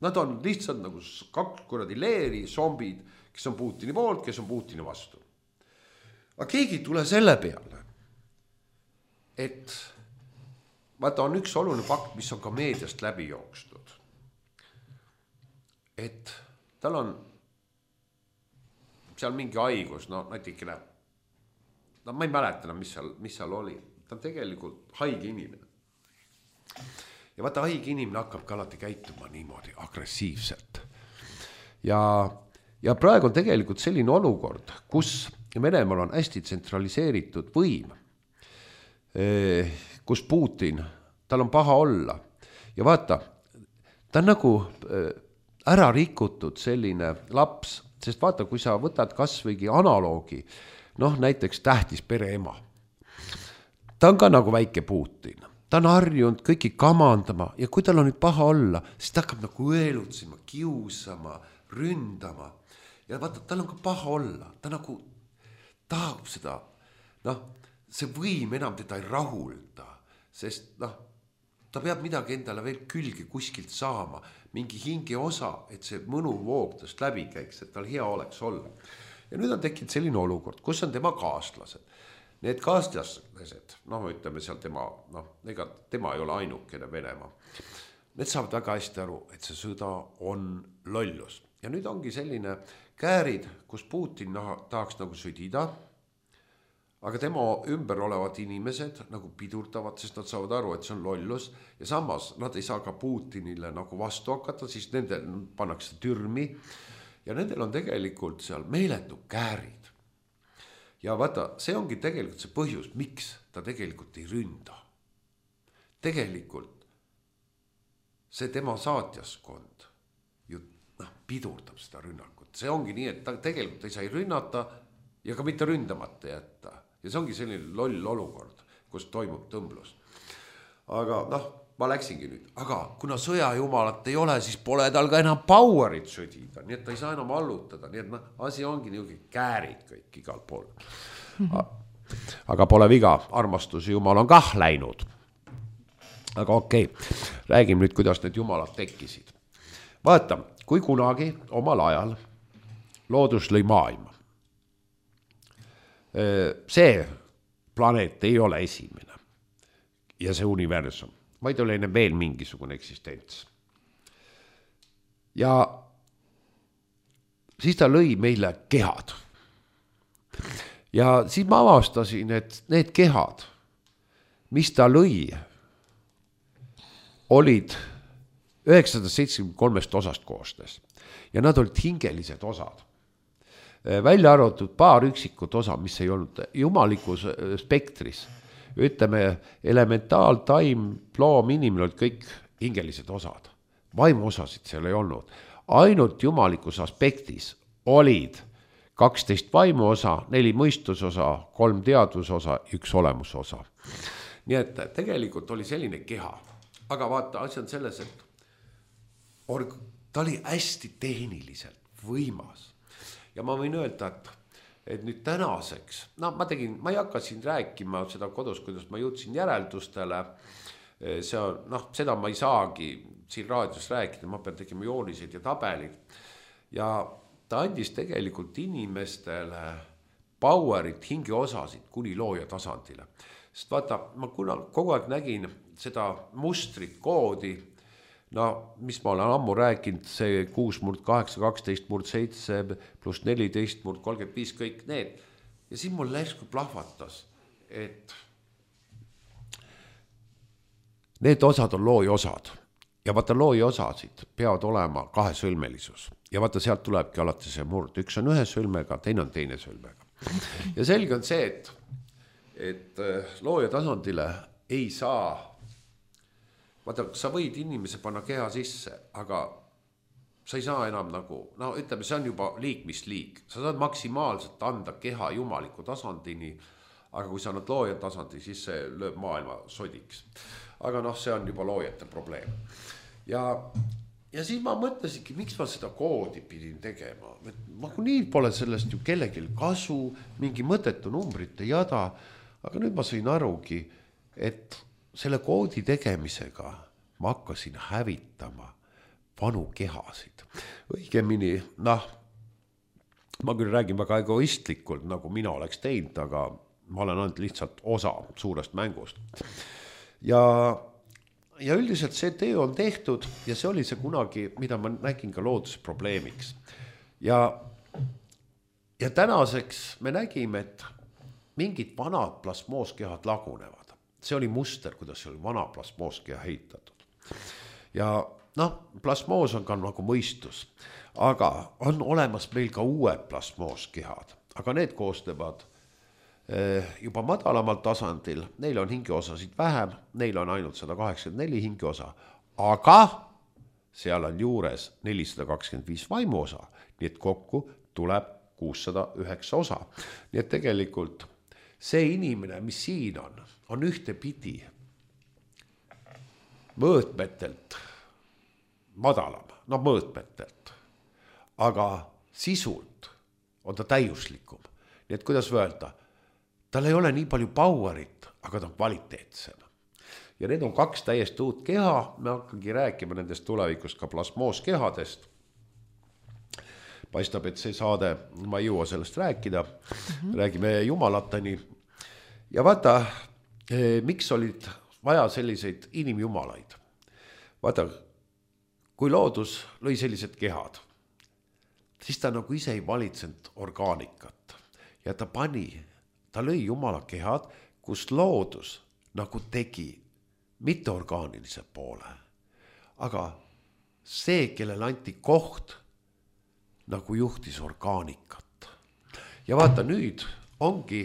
Nad on lihtsalt nagu kaks kuradi leeri, zombid, kes on Putini poolt, kes on Putini vastu. Aga keegi ei tule selle peale, et vaata, on üks oluline fakt, mis on ka meediast läbi jookstud. Et tal on seal mingi haigus, natikene, ma ei mäleta, mis seal oli. Ta on tegelikult haige inimene. Ja vaata, haige inimene hakkab ka alati käituma niimoodi agressiivselt. Ja praegu on tegelikult selline olukord, kus Venemaal on hästi tsentraliseeritud võim, kus Putin, tal on paha olla. Ja vaata, ta on nagu ära rikutud selline laps, sest vaata, kui sa võtad kasvõigi analoogi, näiteks tähtis pereema. Ta on ka nagu väike Putin. Ta on harjunud kõiki kamandama ja kui tal on nüüd paha olla, siis ta hakkab nagu õelutsima, kiusama, ründama. Ja vaata, tal on ka paha olla. Ta nagu tahab seda, see võim enam teda ei rahulda, sest ta peab midagi endale veel külge kuskilt saama, mingi hinge osa, et see mõnu voogtast läbi käiks, et tal hea oleks olla. Ja nüüd on tekkinud selline olukord, kus on tema kaaslased. Need kaaslased, ütleme seal tema ei ole ainukene Venemaa. Need saavad väga hästi aru, et see sõda on lollus. Ja nüüd ongi selline käärid, kus Putin tahaks nagu sõdida, aga tema ümber olevad inimesed nagu pidurdavad, sest nad saavad aru, et see on lollus ja samas nad ei saa ka Putinile nagu vastu hakata, siis nendel pannakse türmi ja nendel on tegelikult seal meeletu käärid. Ja vaata, see ongi tegelikult see põhjus, miks ta tegelikult ei ründa. Tegelikult see tema saatjaskond ju pidurdab seda rünnakut. See ongi nii, et ta tegelikult ei saa rünnata ja ka mitte ründamata jätta. Ja see ongi selline loll olukord, kus toimub tõmblus. Aga ma läksingi nüüd. Aga kuna sõjajumalat ei ole, siis pole tal ka enam powerit sõdida. Nii et ta ei saa enam allutada. Nii et asi ongi niisugune käärid kõik igal pool. Aga pole viga, armastuse jumal on kah läinud. Aga okei, räägime nüüd, kuidas need jumalad tekkisid. Vaata, kui kunagi omal ajal loodus lõi maailma. See planeet ei ole esimene ja see universum, vaid oli veel mingisugune eksistents. Ja siis ta lõi meile kehad. Ja siis ma avastasin, et need kehad, mis ta lõi, olid 973 osast koostes ja nad olid hingelised osad. Välja arvatud paar üksikut osa, mis ei olnud jumalikus spektris. Ütleme, elementaal, taim, loom, inimene olid kõik hingelised osad. Vaimuosasid seal ei olnud. Ainult jumalikus aspektis olid 12 vaimuosa, 4 mõistusosa, 3 teadusosa, 1 olemusosa. Nii et tegelikult oli selline keha. Aga vaata, asi on selles, et ta oli hästi tehniliselt võimas. Ja ma võin öelda, et nüüd tänaseks, ma ei hakka siin rääkima seda kodus, kuidas ma jõudsin järeldustele, seda ma ei saagi siin raadios rääkida, ma pean tegema jooniseid ja tabelid. Ja ta andis tegelikult inimestele powerit, hingeosasid kuni looja tasandile. Sest vaata, ma kogu aeg nägin seda mustrit, koodi, mis ma olen ammu rääkinud, see 6 murd 8, 12 murd 7 pluss 14 murd 35, kõik need. Ja siin mul läsku plahvatas, et need osad on looja osad. Ja vaata, looja osasid peavad olema 2 sõlmelisus. Ja vaata, sealt tulebki alati see murd. Üks on 1 sõlmega, teine on 2 sõlmega. Ja selge on see, et looja tasandile ei saa, vaata, sa võid inimese panna keha sisse, aga sa ei saa enam nagu, no ütleme, see on juba liik, mis liik. Sa saad maksimaalselt anda keha jumaliku tasandini, aga kui sa annad looja tasandi, siis see lööb maailma sodiks. Aga noh, see on juba loojate probleem. Ja siis ma mõtlesingi, miks ma seda koodi pidin tegema. Ma kui nii pole sellest ju kellelgi kasu, mingi mõttetu numbrite jada, aga nüüd ma sain arugi, et selle koodi tegemisega ma hakkasin hävitama vanu kehasid. Õigemini, noh, ma küll räägin väga egoistlikult, nagu mina oleks teinud, aga ma olen ainult lihtsalt osa suurest mängust. Ja üldiselt see töö on tehtud ja see oli see kunagi, mida ma nägin ka loodusprobleemiks. Ja tänaseks me nägime, et mingid vanad plasmooskehad lagunevad. See oli muster, kuidas see oli vana plasmooskeha heitatud. Ja noh, plasmoos on ka nagu mõistus, aga on olemas meil ka uued plasmooskehad, aga need koosnevad juba madalamal tasandil, neil on hingeosasid vähem, neil on ainult 184 hingeosa, aga seal on juures 425 vaimuosa, nii et kokku tuleb 609 osa. Nii et tegelikult see inimene, mis siin on ühte pidi mõõtmetelt madalam, no mõõtmetelt, aga sisult on ta täiuslikum. Nii et kuidas öelda, tal ei ole nii palju powerit, aga ta on kvaliteetsem. Ja need on kaks täiesti uut keha, me hakkangi rääkima nendest tulevikus ka plasmooskehadest. Paistab, et see saade, ma ei jõua sellest rääkida, räägime jumalatani. Ja vaata, miks olid vaja selliseid inimjumalaid? Vaata, kui loodus lõi sellised kehad, siis ta nagu ise ei valitsenud orgaanikat ja ta lõi jumala kehad, kus loodus nagu tegi mitteorgaanilise poole. Aga see, kellel anti koht, nagu juhtis orgaanikat. Ja vaata nüüd ongi,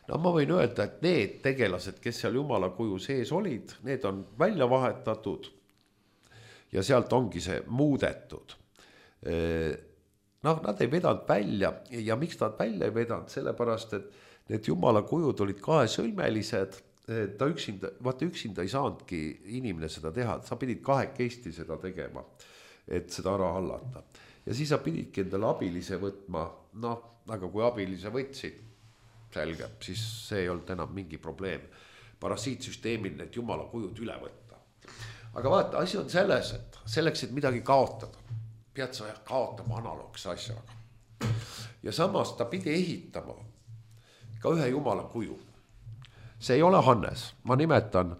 no ma võin öelda, et need tegelased, kes seal jumala kuju sees olid, need on välja vahetatud ja sealt ongi see muudetud. Noh, nad ei vedanud välja ja miks nad välja ei vedanud, sellepärast, et need jumala kujud olid kahesõlmelised, ta üksinda ei saanudki inimene seda teha, sa pidid kahekesti seda tegema, et seda ära hallata. Ja siis sa pididki endale abilise võtma, noh, aga kui abilise võtsid, selge, siis see ei olnud enam mingi probleem. Parasiitsüsteemil need jumala kujud üle võtta. Aga vaata, asi on selles, et selleks, et midagi kaotada, pead sa kaotama analoogse asjaga. Ja samas ta pidi ehitama ka ühe jumala kuju. See ei ole Hannes, ma nimetan,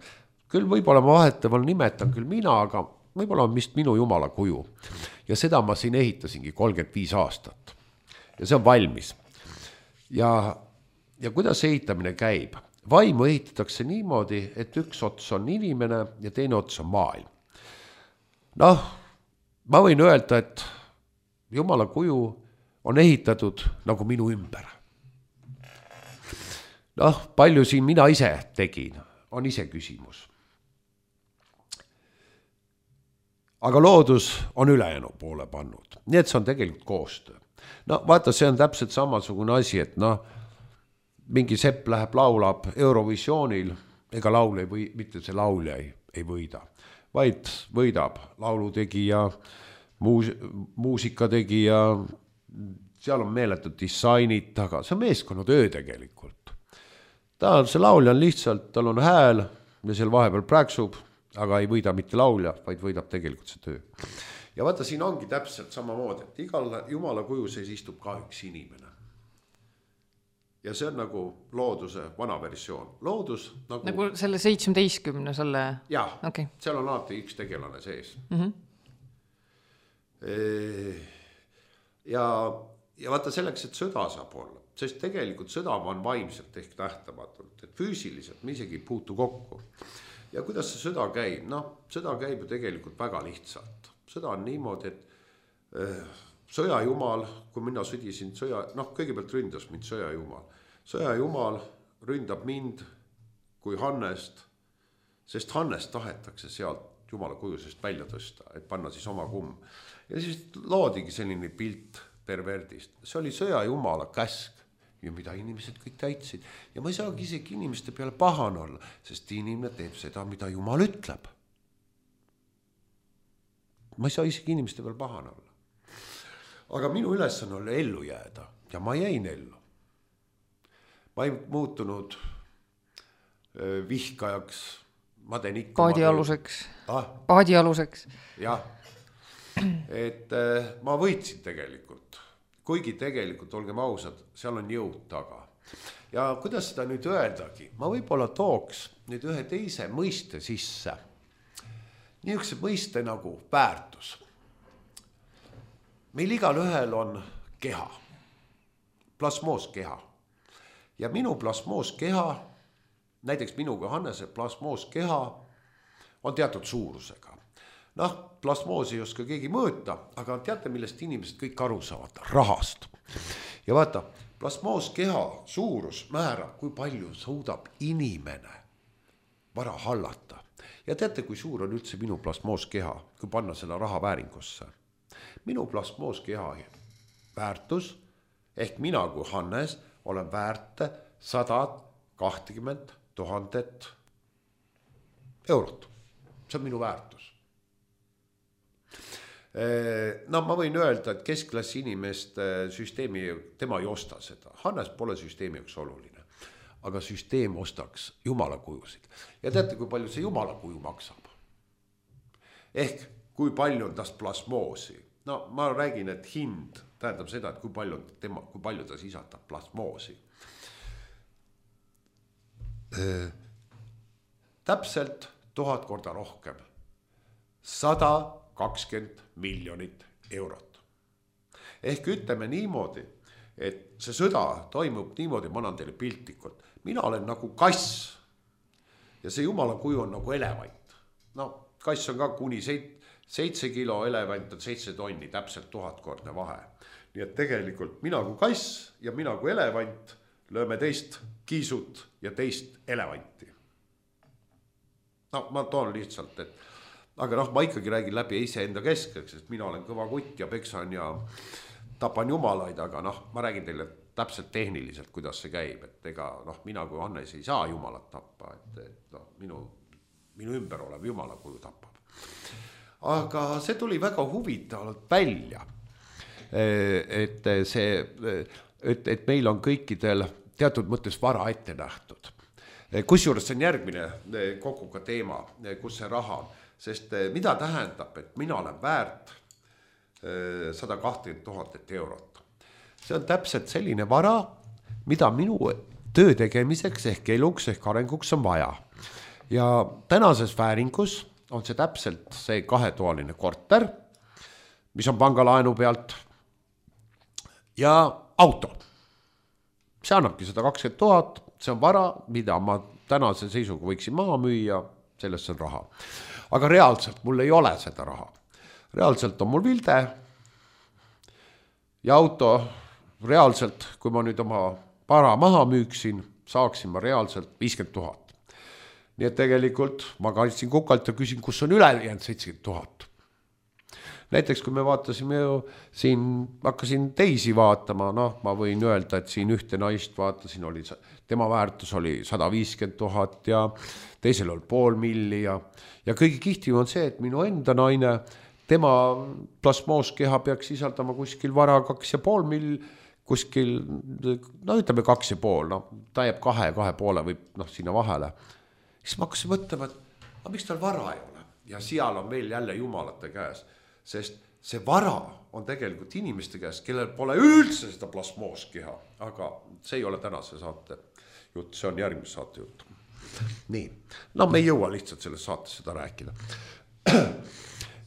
küll võib-olla ma vaheteval nimetan küll mina, aga võib-olla on vist minu jumala kuju. Ja seda ma siin ehitasingi 35 aastat. Ja see on valmis. Ja kuidas ehitamine käib? Vaimu ehitatakse niimoodi, et üks ots on inimene ja teine ots on maailm. Noh, ma võin öelda, et jumala kuju on ehitatud nagu minu ümber. Noh, palju siin mina ise tegin, on ise küsimus. Aga loodus on ülejäänu poole pannud. Nii et see on tegelikult koostöö. No vaata, see on täpselt samasugune asi, et noh, mingi sepp läheb laulab Eurovisioonil, ega laul ei või, mitte see laulja ei võida, vaid võidab laulutegija, muusikategija, seal on meeletud disainid taga, see on meeskonnatöö tegelikult. See laulja on lihtsalt, tal on hääl ja seal vahepeal praksub, aga ei võida mitte laulja, vaid võidab tegelikult see töö. Ja vaata, siin ongi täpselt samamoodi, et igal jumala kuju sees istub ka üks inimene. Ja see on nagu looduse vana versioon. Loodus nagu selle 17 selle... Jah, okay. Seal on alati üks tegelane sees. Ja vaata selleks, et sõda saab olla. Sest tegelikult sõda on vaimselt ehk nähtamatult, et füüsiliselt me isegi puutu kokku. Ja kuidas see sõda käib? Noh, sõda käib ju tegelikult väga lihtsalt. Sõda on niimoodi, et sõjajumal, kui mina sõdisin kõigepealt ründas mind sõjajumal. Sõjajumal ründab mind kui Hannest, sest Hannest tahetakse sealt Jumala kujusest välja tõsta, et panna siis oma kumm. Ja siis loodigi selline pilt perverdist. See oli sõja Jumala käsk ja mida inimesed kõik täitsid. Ja ma ei saagi isegi inimeste peale pahane olla, sest inimene teeb seda, mida Jumal ütleb. Ma ei saa isegi inimeste peale pahane olla. Aga minu ülesanne oli ellu jääda ja ma jäin ellu. Ma ei muutunud vihkajaks, ma teen ikka paadialuseks. Jah, et ma võitsin tegelikult, kuigi tegelikult, olgem ausad, seal on jõud taga. Ja kuidas seda nüüd öeldagi, ma võib-olla tooks nüüd ühe teise mõiste sisse, niisuguse mõiste nagu väärtus. Meil igal ühel on keha, plasmooskeha. Ja minu plasmooskeha, näiteks minuga Hannese plasmooskeha on teatud suurusega. Plasmoosi ei oska keegi mõõta, aga teate, millest inimesed kõik aru saavad? Rahast. Ja vaata, plasmooskeha suurus määrab, kui palju suudab inimene vara hallata. Ja teate, kui suur on üldse minu plasmooskeha, kui panna selle raha vääringusse? Minu plasmooskeha väärtus, ehk mina kui Hannes olen väärt 120 000 eurot. See on minu väärtus. Ma võin öelda, et keskklassi inimeste süsteemi, tema ei osta seda. Hannes pole süsteemi üks oluline, aga süsteem ostaks Jumala kujusid. Ja teate, kui palju see Jumala kuju maksab? Ehk kui palju on tast plasmoosi? Ma räägin, et hind tähendab seda, et kui palju ta sisaldab plasmoosi. Täpselt 1000 korda rohkem. 120 miljonit eurot. Ehk ütleme niimoodi, et see sõda toimub niimoodi, ma annan teile piltlikult. Mina olen nagu kass ja see Jumala kuju on nagu elevant. Kass on ka kuni 7 kilo, elevant on 7 tonni, täpselt 1000 kordne vahe. Nii et tegelikult mina kui kass ja mina kui elevant lööme teist kiisut ja teist elevanti. Ma toon lihtsalt, aga ma ikkagi räägin läbi ise enda keskeks, sest mina olen kõva kutt ja peksan ja tapan jumalaid, aga ma räägin teile täpselt tehniliselt, kuidas see käib, et ega mina kui Hannes ei saa jumalat tappa, et minu ümber olev jumala kuju tapab. Aga see tuli väga huvitavalt välja, et meil on kõikidel teatud mõttes vara ette nähtud. Kusjuures see on järgmine koguga teema, kus see raha on. Sest mida tähendab, et mina olen väärt 120 000 eurot. See on täpselt selline vara, mida minu töö tegemiseks ehk eluks ehk arenguks on vaja. Ja tänases vääringus on see täpselt see 2-toaline korter, mis on pangalaenu pealt ja auto. See annabki 120 000, see on vara, mida ma tänase seisuga võiksin maha müüa, sellest on raha. Aga reaalselt mul ei ole seda raha. Reaalselt on mul vilde ja auto reaalselt, kui ma nüüd oma vara maha müüksin, saaksin ma reaalselt 50 000. Nii et tegelikult ma kaitsin kukalt ja küsin, kus on üle jäänud 70 000. Näiteks kui me vaatasime ju siin, hakkasin teisi vaatama, ma võin öelda, et siin ühte naist vaatasin, tema väärtus oli 150 000 ja teisel oli 500 000 ja kõige kihtim on see, et minu enda naine, tema plasmooskeha peaks sisaldama kuskil vara 2,5 miljonit, kuskil, ütleme 2,5, ta jääb 2,5 või sinna vahele. Siis ma hakkasin mõtlema, et miks tal vara ei ole? Ja seal on meil jälle jumalate käes, sest see vara on tegelikult inimeste käes, kellel pole üldse seda plasmooskeha, aga see ei ole tänase saate jutt, see on järgmise saate jutt. Nii, me ei jõua lihtsalt selles saates seda rääkida.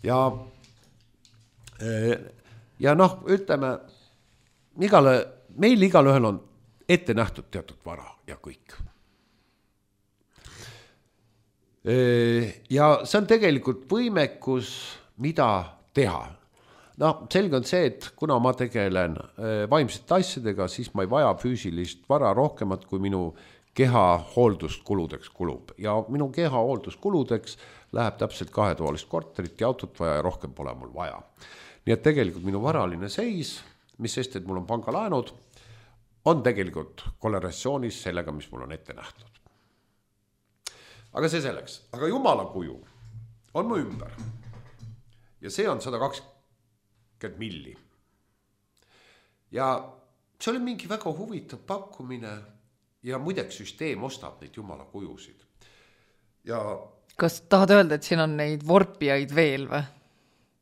Ja ütleme, meil igal ühel on ette nähtud teatud vara ja kõik. Ja see on tegelikult võimekus, mida teha. Selge on see, et kuna ma tegelen vaimsete asjadega, siis ma ei vaja füüsilist vara rohkemat kui minu keha hoolduskuludeks kulub ja minu keha hoolduskuludeks läheb täpselt 2-toalist korterit ja autot vaja ja rohkem pole mul vaja. Nii et tegelikult minu varaline seis, mis sest, et mul on pangalaenud, on tegelikult korrelatsioonis sellega, mis mul on ette nähtud. Aga see selleks. Aga Jumala kuju on mu ümber. Ja see on 120 milli. Ja see oli mingi väga huvitav pakkumine ja muideks süsteem ostab neid Jumala kujusid. Ja kas tahad öelda, et siin on neid vorpijaid veel või?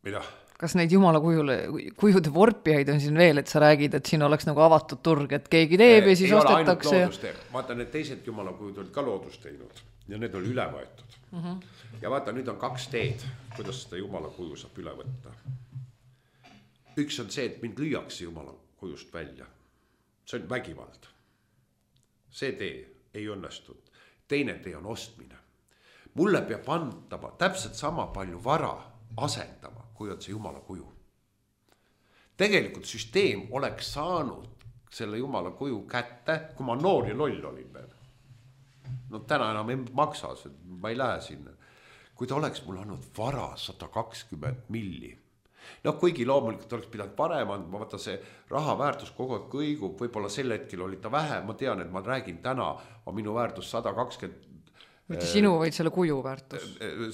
Mida? Kas neid Jumala kujude vorpijaid on siin veel, et sa räägid, et siin oleks nagu avatud turg, et keegi teeb ja siis ostetakse? Vaata, need teised Jumala kujud olid ka loodust teinud ja need oli üle võetud. Ja vaata, nüüd on 2 teed, kuidas seda Jumala kuju saab üle võtta. Üks on see, et mind lüüakse Jumala kujust välja. See on vägivald. See tee ei õnnestunud. Teine tee on ostmine. Mulle peab andma täpselt sama palju vara asendama, kui on see Jumala kuju. Tegelikult süsteem oleks saanud selle Jumala kuju kätte, kui ma noor ja loll olin veel. No täna enam ei maksa, ma ei lähe sinna. Kui ta oleks mul andnud vara 120 milli. No kuigi loomulikult oleks pidanud parem andma, vaata see raha väärtus kogu aeg kõigub, võib-olla sel hetkel oli ta vähe, ma tean, et ma räägin täna, on minu väärtus 120 mitte sinu, vaid selle kuju väärtus.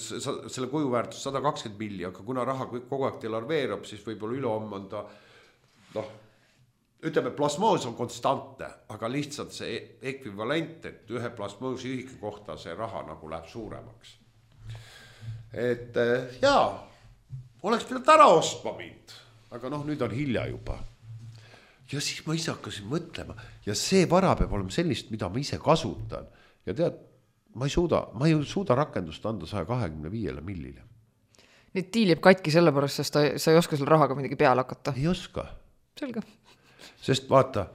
Selle kuju väärtus 120 milli, aga kuna raha kogu aeg delarveerub, siis võib-olla ülehomme on ta, ütleme, plasmoos on konstantne, aga lihtsalt see ekvivalent, et ühe plasmoosi ühiku kohta see raha nagu läheb suuremaks. Et jaa, oleks pidanud ära ostma mind, aga nüüd on hilja juba. Ja siis ma ise hakkasin mõtlema ja see vara peab olema sellist, mida ma ise kasutan ja tead, ma ei suuda rakendust anda 125 millile. Nüüd tiil jääb katki sellepärast, sest sa ei oska selle rahaga midagi peale hakata. Ei oska. Selge. Sest vaata,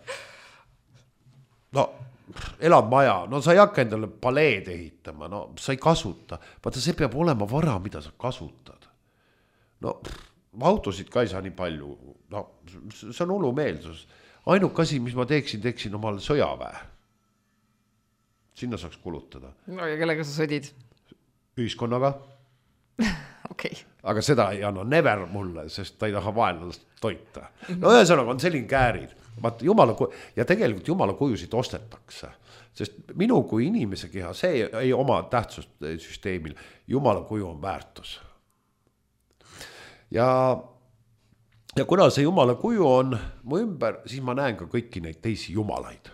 elad maja, sa ei hakka endale paleed ehitama, sa ei kasuta. Vaata, see peab olema vara, mida sa kasutad. Autosid ka ei saa nii palju, see on hullumeelsus. Ainuk asi, mis ma teeksin omale sõjaväe. Sinna saaks kulutada. No ja kellega sa sõdid? Ühiskonnaga. Okay. Aga seda ei anna never mulle, sest ta ei taha vaenlast toita. Ühesõnaga on selline käärid. Ja tegelikult Jumala kujusid ostetakse. Sest minu kui inimese keha, see ei oma tähtsust süsteemil. Jumala kuju on väärtus. Ja kuna see Jumala kuju on mu ümber, siis ma näen ka kõiki neid teisi jumalaid.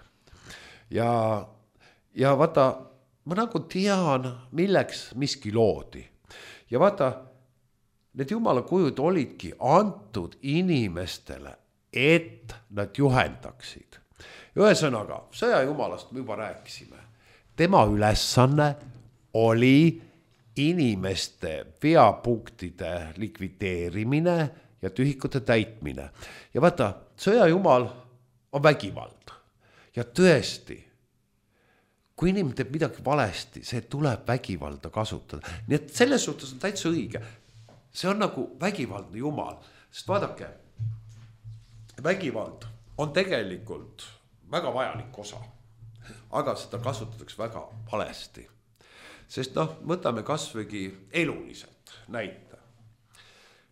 Ja vaata, ma nagu tean, milleks miski loodi. Ja vaata, need Jumala kujud olidki antud inimestele, et nad juhendaksid. Ühesõnaga, sõja jumalast me juba rääkisime. Tema ülesanne oli inimeste veapunktide likvideerimine ja tühikute täitmine. Ja vaata, sõja jumal on vägivald. Ja tõesti, kui inimene teeb midagi valesti, see tuleb vägivalda kasutada. Nii et selles suhtes on täitsa õige. See on nagu vägivaldne jumal. Sest vaadake, vägivald on tegelikult väga vajalik osa. Aga seda kasutatakse väga valesti. Sest võtame kasvõigi eluliselt näite.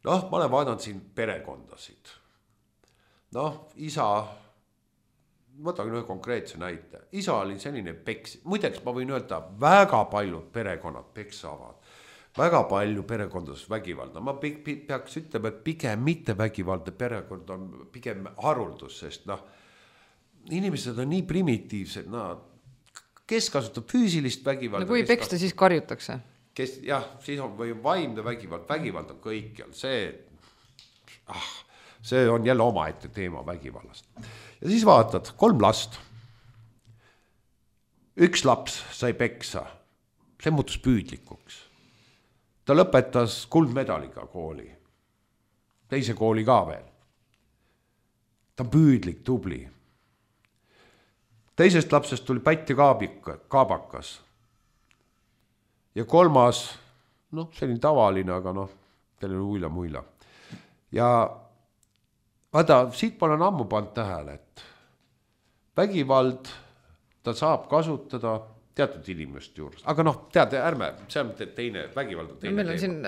Ma olen vaadanud siin perekondasid. Isa... Võtan ühe konkreetse näite. Isa oli selline peks. Muideks ma võin öelda, väga paljud perekonnad peksavad. Väga palju perekondades vägivalda. Ma peaks ütlema, et pigem mitte vägivaldne perekond on pigem haruldus, sest inimesed on nii primitiivsed. Kes kasutab füüsilist vägivalda? Kui peksta, siis karjutakse. Siis on või vaimne vägivald. Vägivald on kõikjal. See on jälle omaette teema vägivallast. Ja siis vaatad, 3 last. 1 laps sai peksa. See muutus püüdlikuks. Ta lõpetas kuldmedaliga kooli. Teise kooli ka veel. Ta on püüdlik, tubli. Teisest lapsest tuli pätt ja kaabakas. Ja 3, selline tavaline, aga teil oli muila. Ja vaata, siit ma olen ammu pannud tähele, et vägivald ta saab kasutada teatud inimeste juures, aga noh, tead, ärme, see on teine vägivald. Meil on siin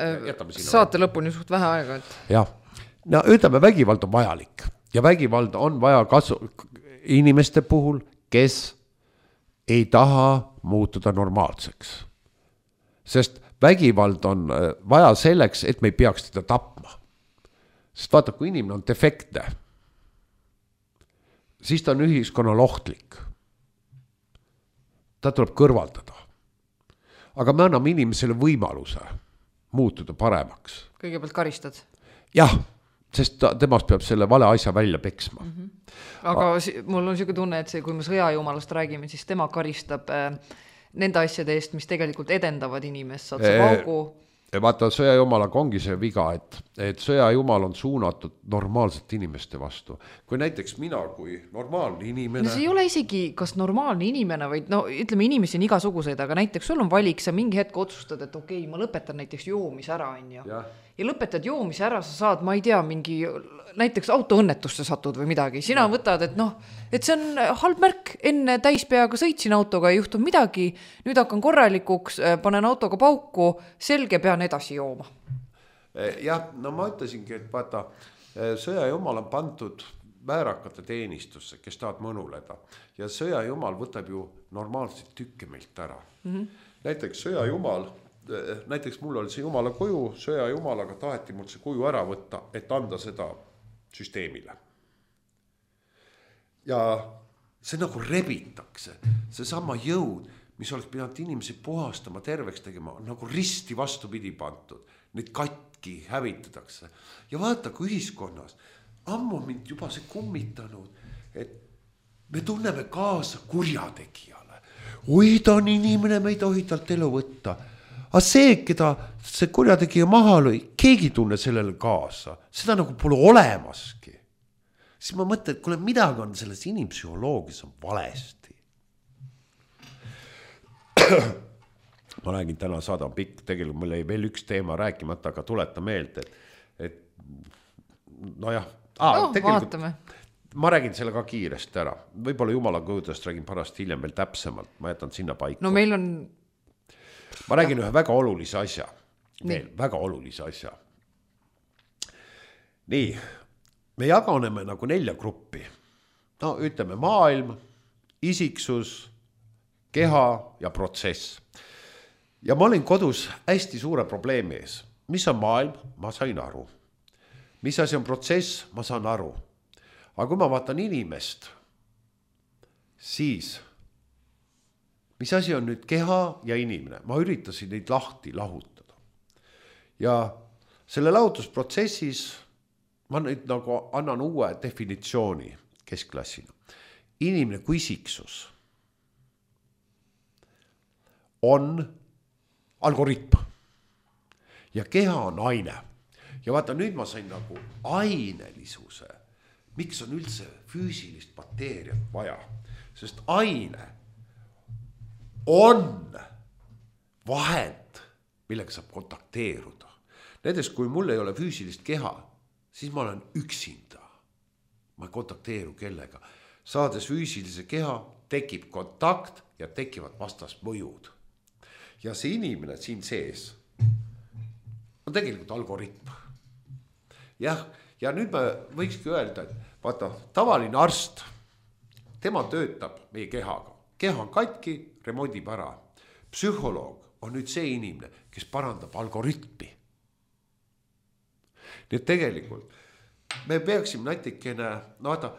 saate lõpuni suht vähe aega. Jah, no ütleme, vägivald on vajalik ja vägivald on vaja inimeste puhul, kes ei taha muutuda normaalseks. Sest vägivald on vaja selleks, et me ei peaks teda tapma. Sest vaata, kui inimene on defektne, siis ta on ühiskonnal ohtlik. Ta tuleb kõrvaldada. Aga me anname inimesele võimaluse muutuda paremaks. Kõigepealt karistad? Jah, sest temast peab selle vale asja välja peksma. Aga mul on selline tunne, et kui me sõjajumalast räägime, siis tema karistab nende asjade eest, mis tegelikult edendavad inimest. Saad sa paugu? Vaata, sõjajumalaga ongi see viga, et sõjajumal on suunatud normaalsete inimeste vastu. Kui näiteks mina kui normaalne inimene... No see ei ole isegi kas normaalne inimene, vaid no ütleme, inimesi on igasuguseid, aga näiteks sul on valik, sa mingi hetk otsustad, et okei, ma lõpetan näiteks joomis ära, ja lõpetad joomis ära, sa saad, ma ei tea, mingi näiteks autoõnnetusse satud või midagi. Sina võtad, et noh, et see on halb märk, enne täispeaga sõitsin autoga, ei juhtu midagi, nüüd hakkan korralikuks, panen autoga pauku, selge, pean edasi jooma. Jah, no ma ütlesingi, et vaata, sõjajumal on pandud väärakate teenistusse, kes tahavad mõnuleda. Ja sõjajumal võtab ju normaalselt tükke meilt ära. Näiteks sõjajumal, näiteks mul oli see jumala kuju, sõjajumalaga taheti mul see kuju ära võtta, et anda seda süsteemile. Ja see nagu rebitakse, see sama jõud, mis oleks pidanud inimesi puhastama, terveks tegema, on nagu risti vastupidi pandud. Neid katki hävitatakse. Ja vaata, kui ühiskonnas ammu mind juba see kummitanud, et me tunneme kaasa kurjategijale. Oi, ta on inimene, me ei tohi talt elu võtta. Aga see, keda see kurjategija maha lõi, keegi tunne sellele kaasa. Seda nagu pole olemaski. Siis ma mõtlen, et kuule, midagi on selles inimpsühholoogias on valesti. Ma räägin, täna saada pikk, tegelikult mul ei veel üks teema rääkimata, aga tuleta meelde, et nojah. Vaatame. Ma räägin selle ka kiiresti ära. Võib-olla jumala kõudest räägin pärast hiljem veel täpsemalt. Ma jätan sinna paika. No meil on... Ma räägin ühe väga olulise asja. Väga olulise asja. Nii, me jaganeme nagu 4 gruppi. No ütleme maailm, isiksus, keha ja protsess. Ja ma olin kodus hästi suure probleemi ees. Mis on maailm? Ma sain aru. Mis asi on protsess? Ma saan aru. Aga kui ma vaatan inimest, siis mis asi on nüüd keha ja inimene? Ma üritasin neid lahti lahutada. Ja selle lahutusprotsessis ma nüüd nagu annan uue definitsiooni keskklassina. Inimene kui isiksus on algoritm ja keha on aine. Ja vaata, nüüd ma sain nagu ainelisuse. Miks on üldse füüsilist mateeriat vaja? Sest aine on vahend, millega saab kontakteeruda. Näiteks, kui mul ei ole füüsilist keha, siis ma olen üksinda. Ma ei kontakteeru kellega. Saades füüsilise keha, tekib kontakt ja tekivad vastasmõjud. Ja see inimene siin sees on tegelikult algoritm. Jah, ja nüüd me võikski öelda, et vaata, tavaline arst, tema töötab meie kehaga. Keha on katki, remondib ära. Psühholoog on nüüd see inimene, kes parandab algoritmi. Nii et tegelikult me peaksime natikene, no vaata,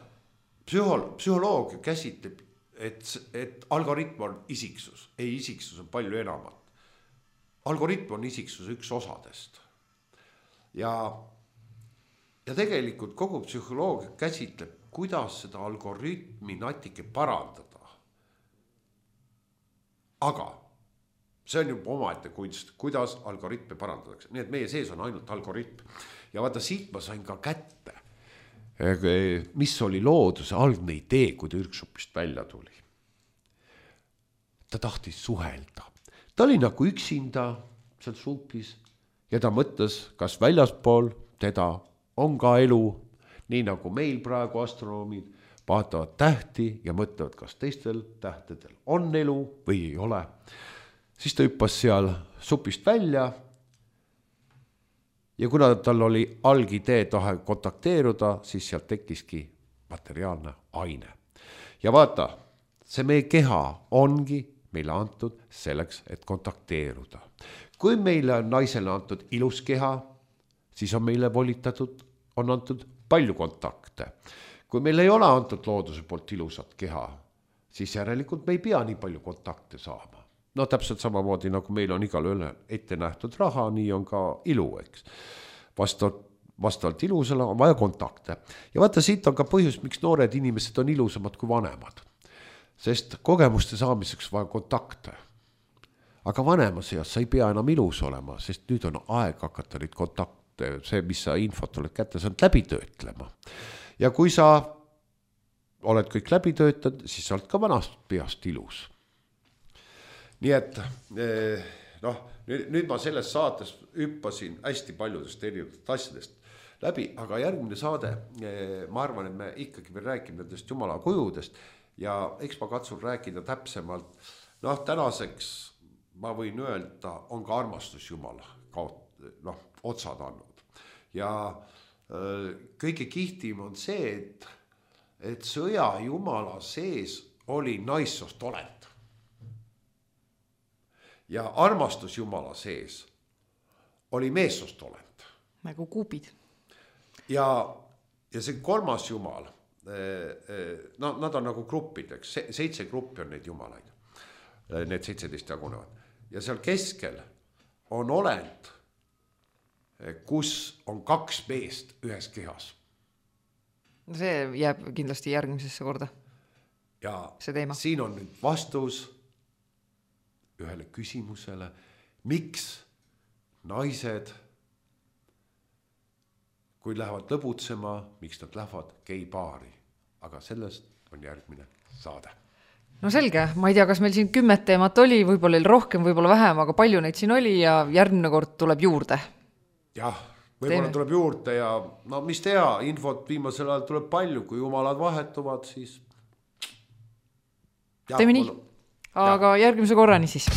psühholoog käsitleb, et algoritm on isiksus. Ei, isiksus on palju enamat. Algoritm on isiksus üks osadest. Ja tegelikult kogu psühholoogia käsitleb, kuidas seda algoritmi natike parandada. Aga see on juba omaette kunst, kuidas algoritme parandatakse. Nii et meie sees on ainult algoritm. Ja vaata, siit ma sain ka kätte, mis oli looduse algne idee, kui ta ürksupist välja tuli. Ta tahtis suhelda. Ta oli nagu üksinda seal supis ja ta mõtles, kas väljaspool teda on ka elu, nii nagu meil praegu astronoomid vaatavad tähti ja mõtlevad, kas teistel tähtedel on elu või ei ole. Siis ta hüppas seal supist välja ja kuna tal oli algidee tahe kontakteeruda, siis sealt tekkiski materiaalne aine. Ja vaata, see meie keha ongi meile antud selleks, et kontakteeruda. Kui meile on naisele antud ilus keha, siis on meile volitatud, on antud palju kontakte. Kui meil ei ole antud looduse poolt ilusat keha, siis järelikult me ei pea nii palju kontakte saama. No täpselt samamoodi, nagu meil on igal üle ette nähtud raha, nii on ka ilu, eks. Vastavalt ilusale on vaja kontakte. Ja vaata, siit on ka põhjus, miks noored inimesed on ilusamad kui vanemad. Sest kogemuste saamiseks vaja kontakte. Aga vanemas eas sa ei pea enam ilus olema, sest nüüd on aeg hakata neid kontakte, see, mis sa infot oled kätte saanud, läbi töötlema. Ja kui sa oled kõik läbi töötanud, siis sa oled ka vanast peast ilus. Nii et nüüd ma selles saates hüppasin hästi paljudest erinevatest asjadest läbi, aga järgmine saade, ma arvan, et me ikkagi veel räägime nendest jumala kujudest ja eks ma katsun rääkida täpsemalt. Tänaseks ma võin öelda, on ka armastus jumala otsad andnud. Ja kõige kihtim on see, et sõja jumala sees oli naissoost olend. Ja armastus jumala sees oli meessoost olend. Nagu kuubid. Ja see kolmas jumal, nad on nagu gruppideks, 7 gruppi on neid jumalaid. Need 17 jagunevad. Ja seal keskel on olend, kus on 2 meest ühes kehas. See jääb kindlasti järgmisesse korda. Ja siin on nüüd vastus ühele küsimusele, miks naised, kui lähevad lõbutsema, miks nad lähevad geibaari. Aga sellest on järgmine saade. No selge, ma ei tea, kas meil siin 10 teemat oli, võib-olla rohkem, võib-olla vähem, aga palju neid siin oli ja järgmine kord tuleb juurde. Jah, võib-olla tuleb juurde ja mis teha, infot viimasel ajal tuleb palju, kui jumalad vahetuvad, siis... Teeme nii, aga järgmise korrani siis.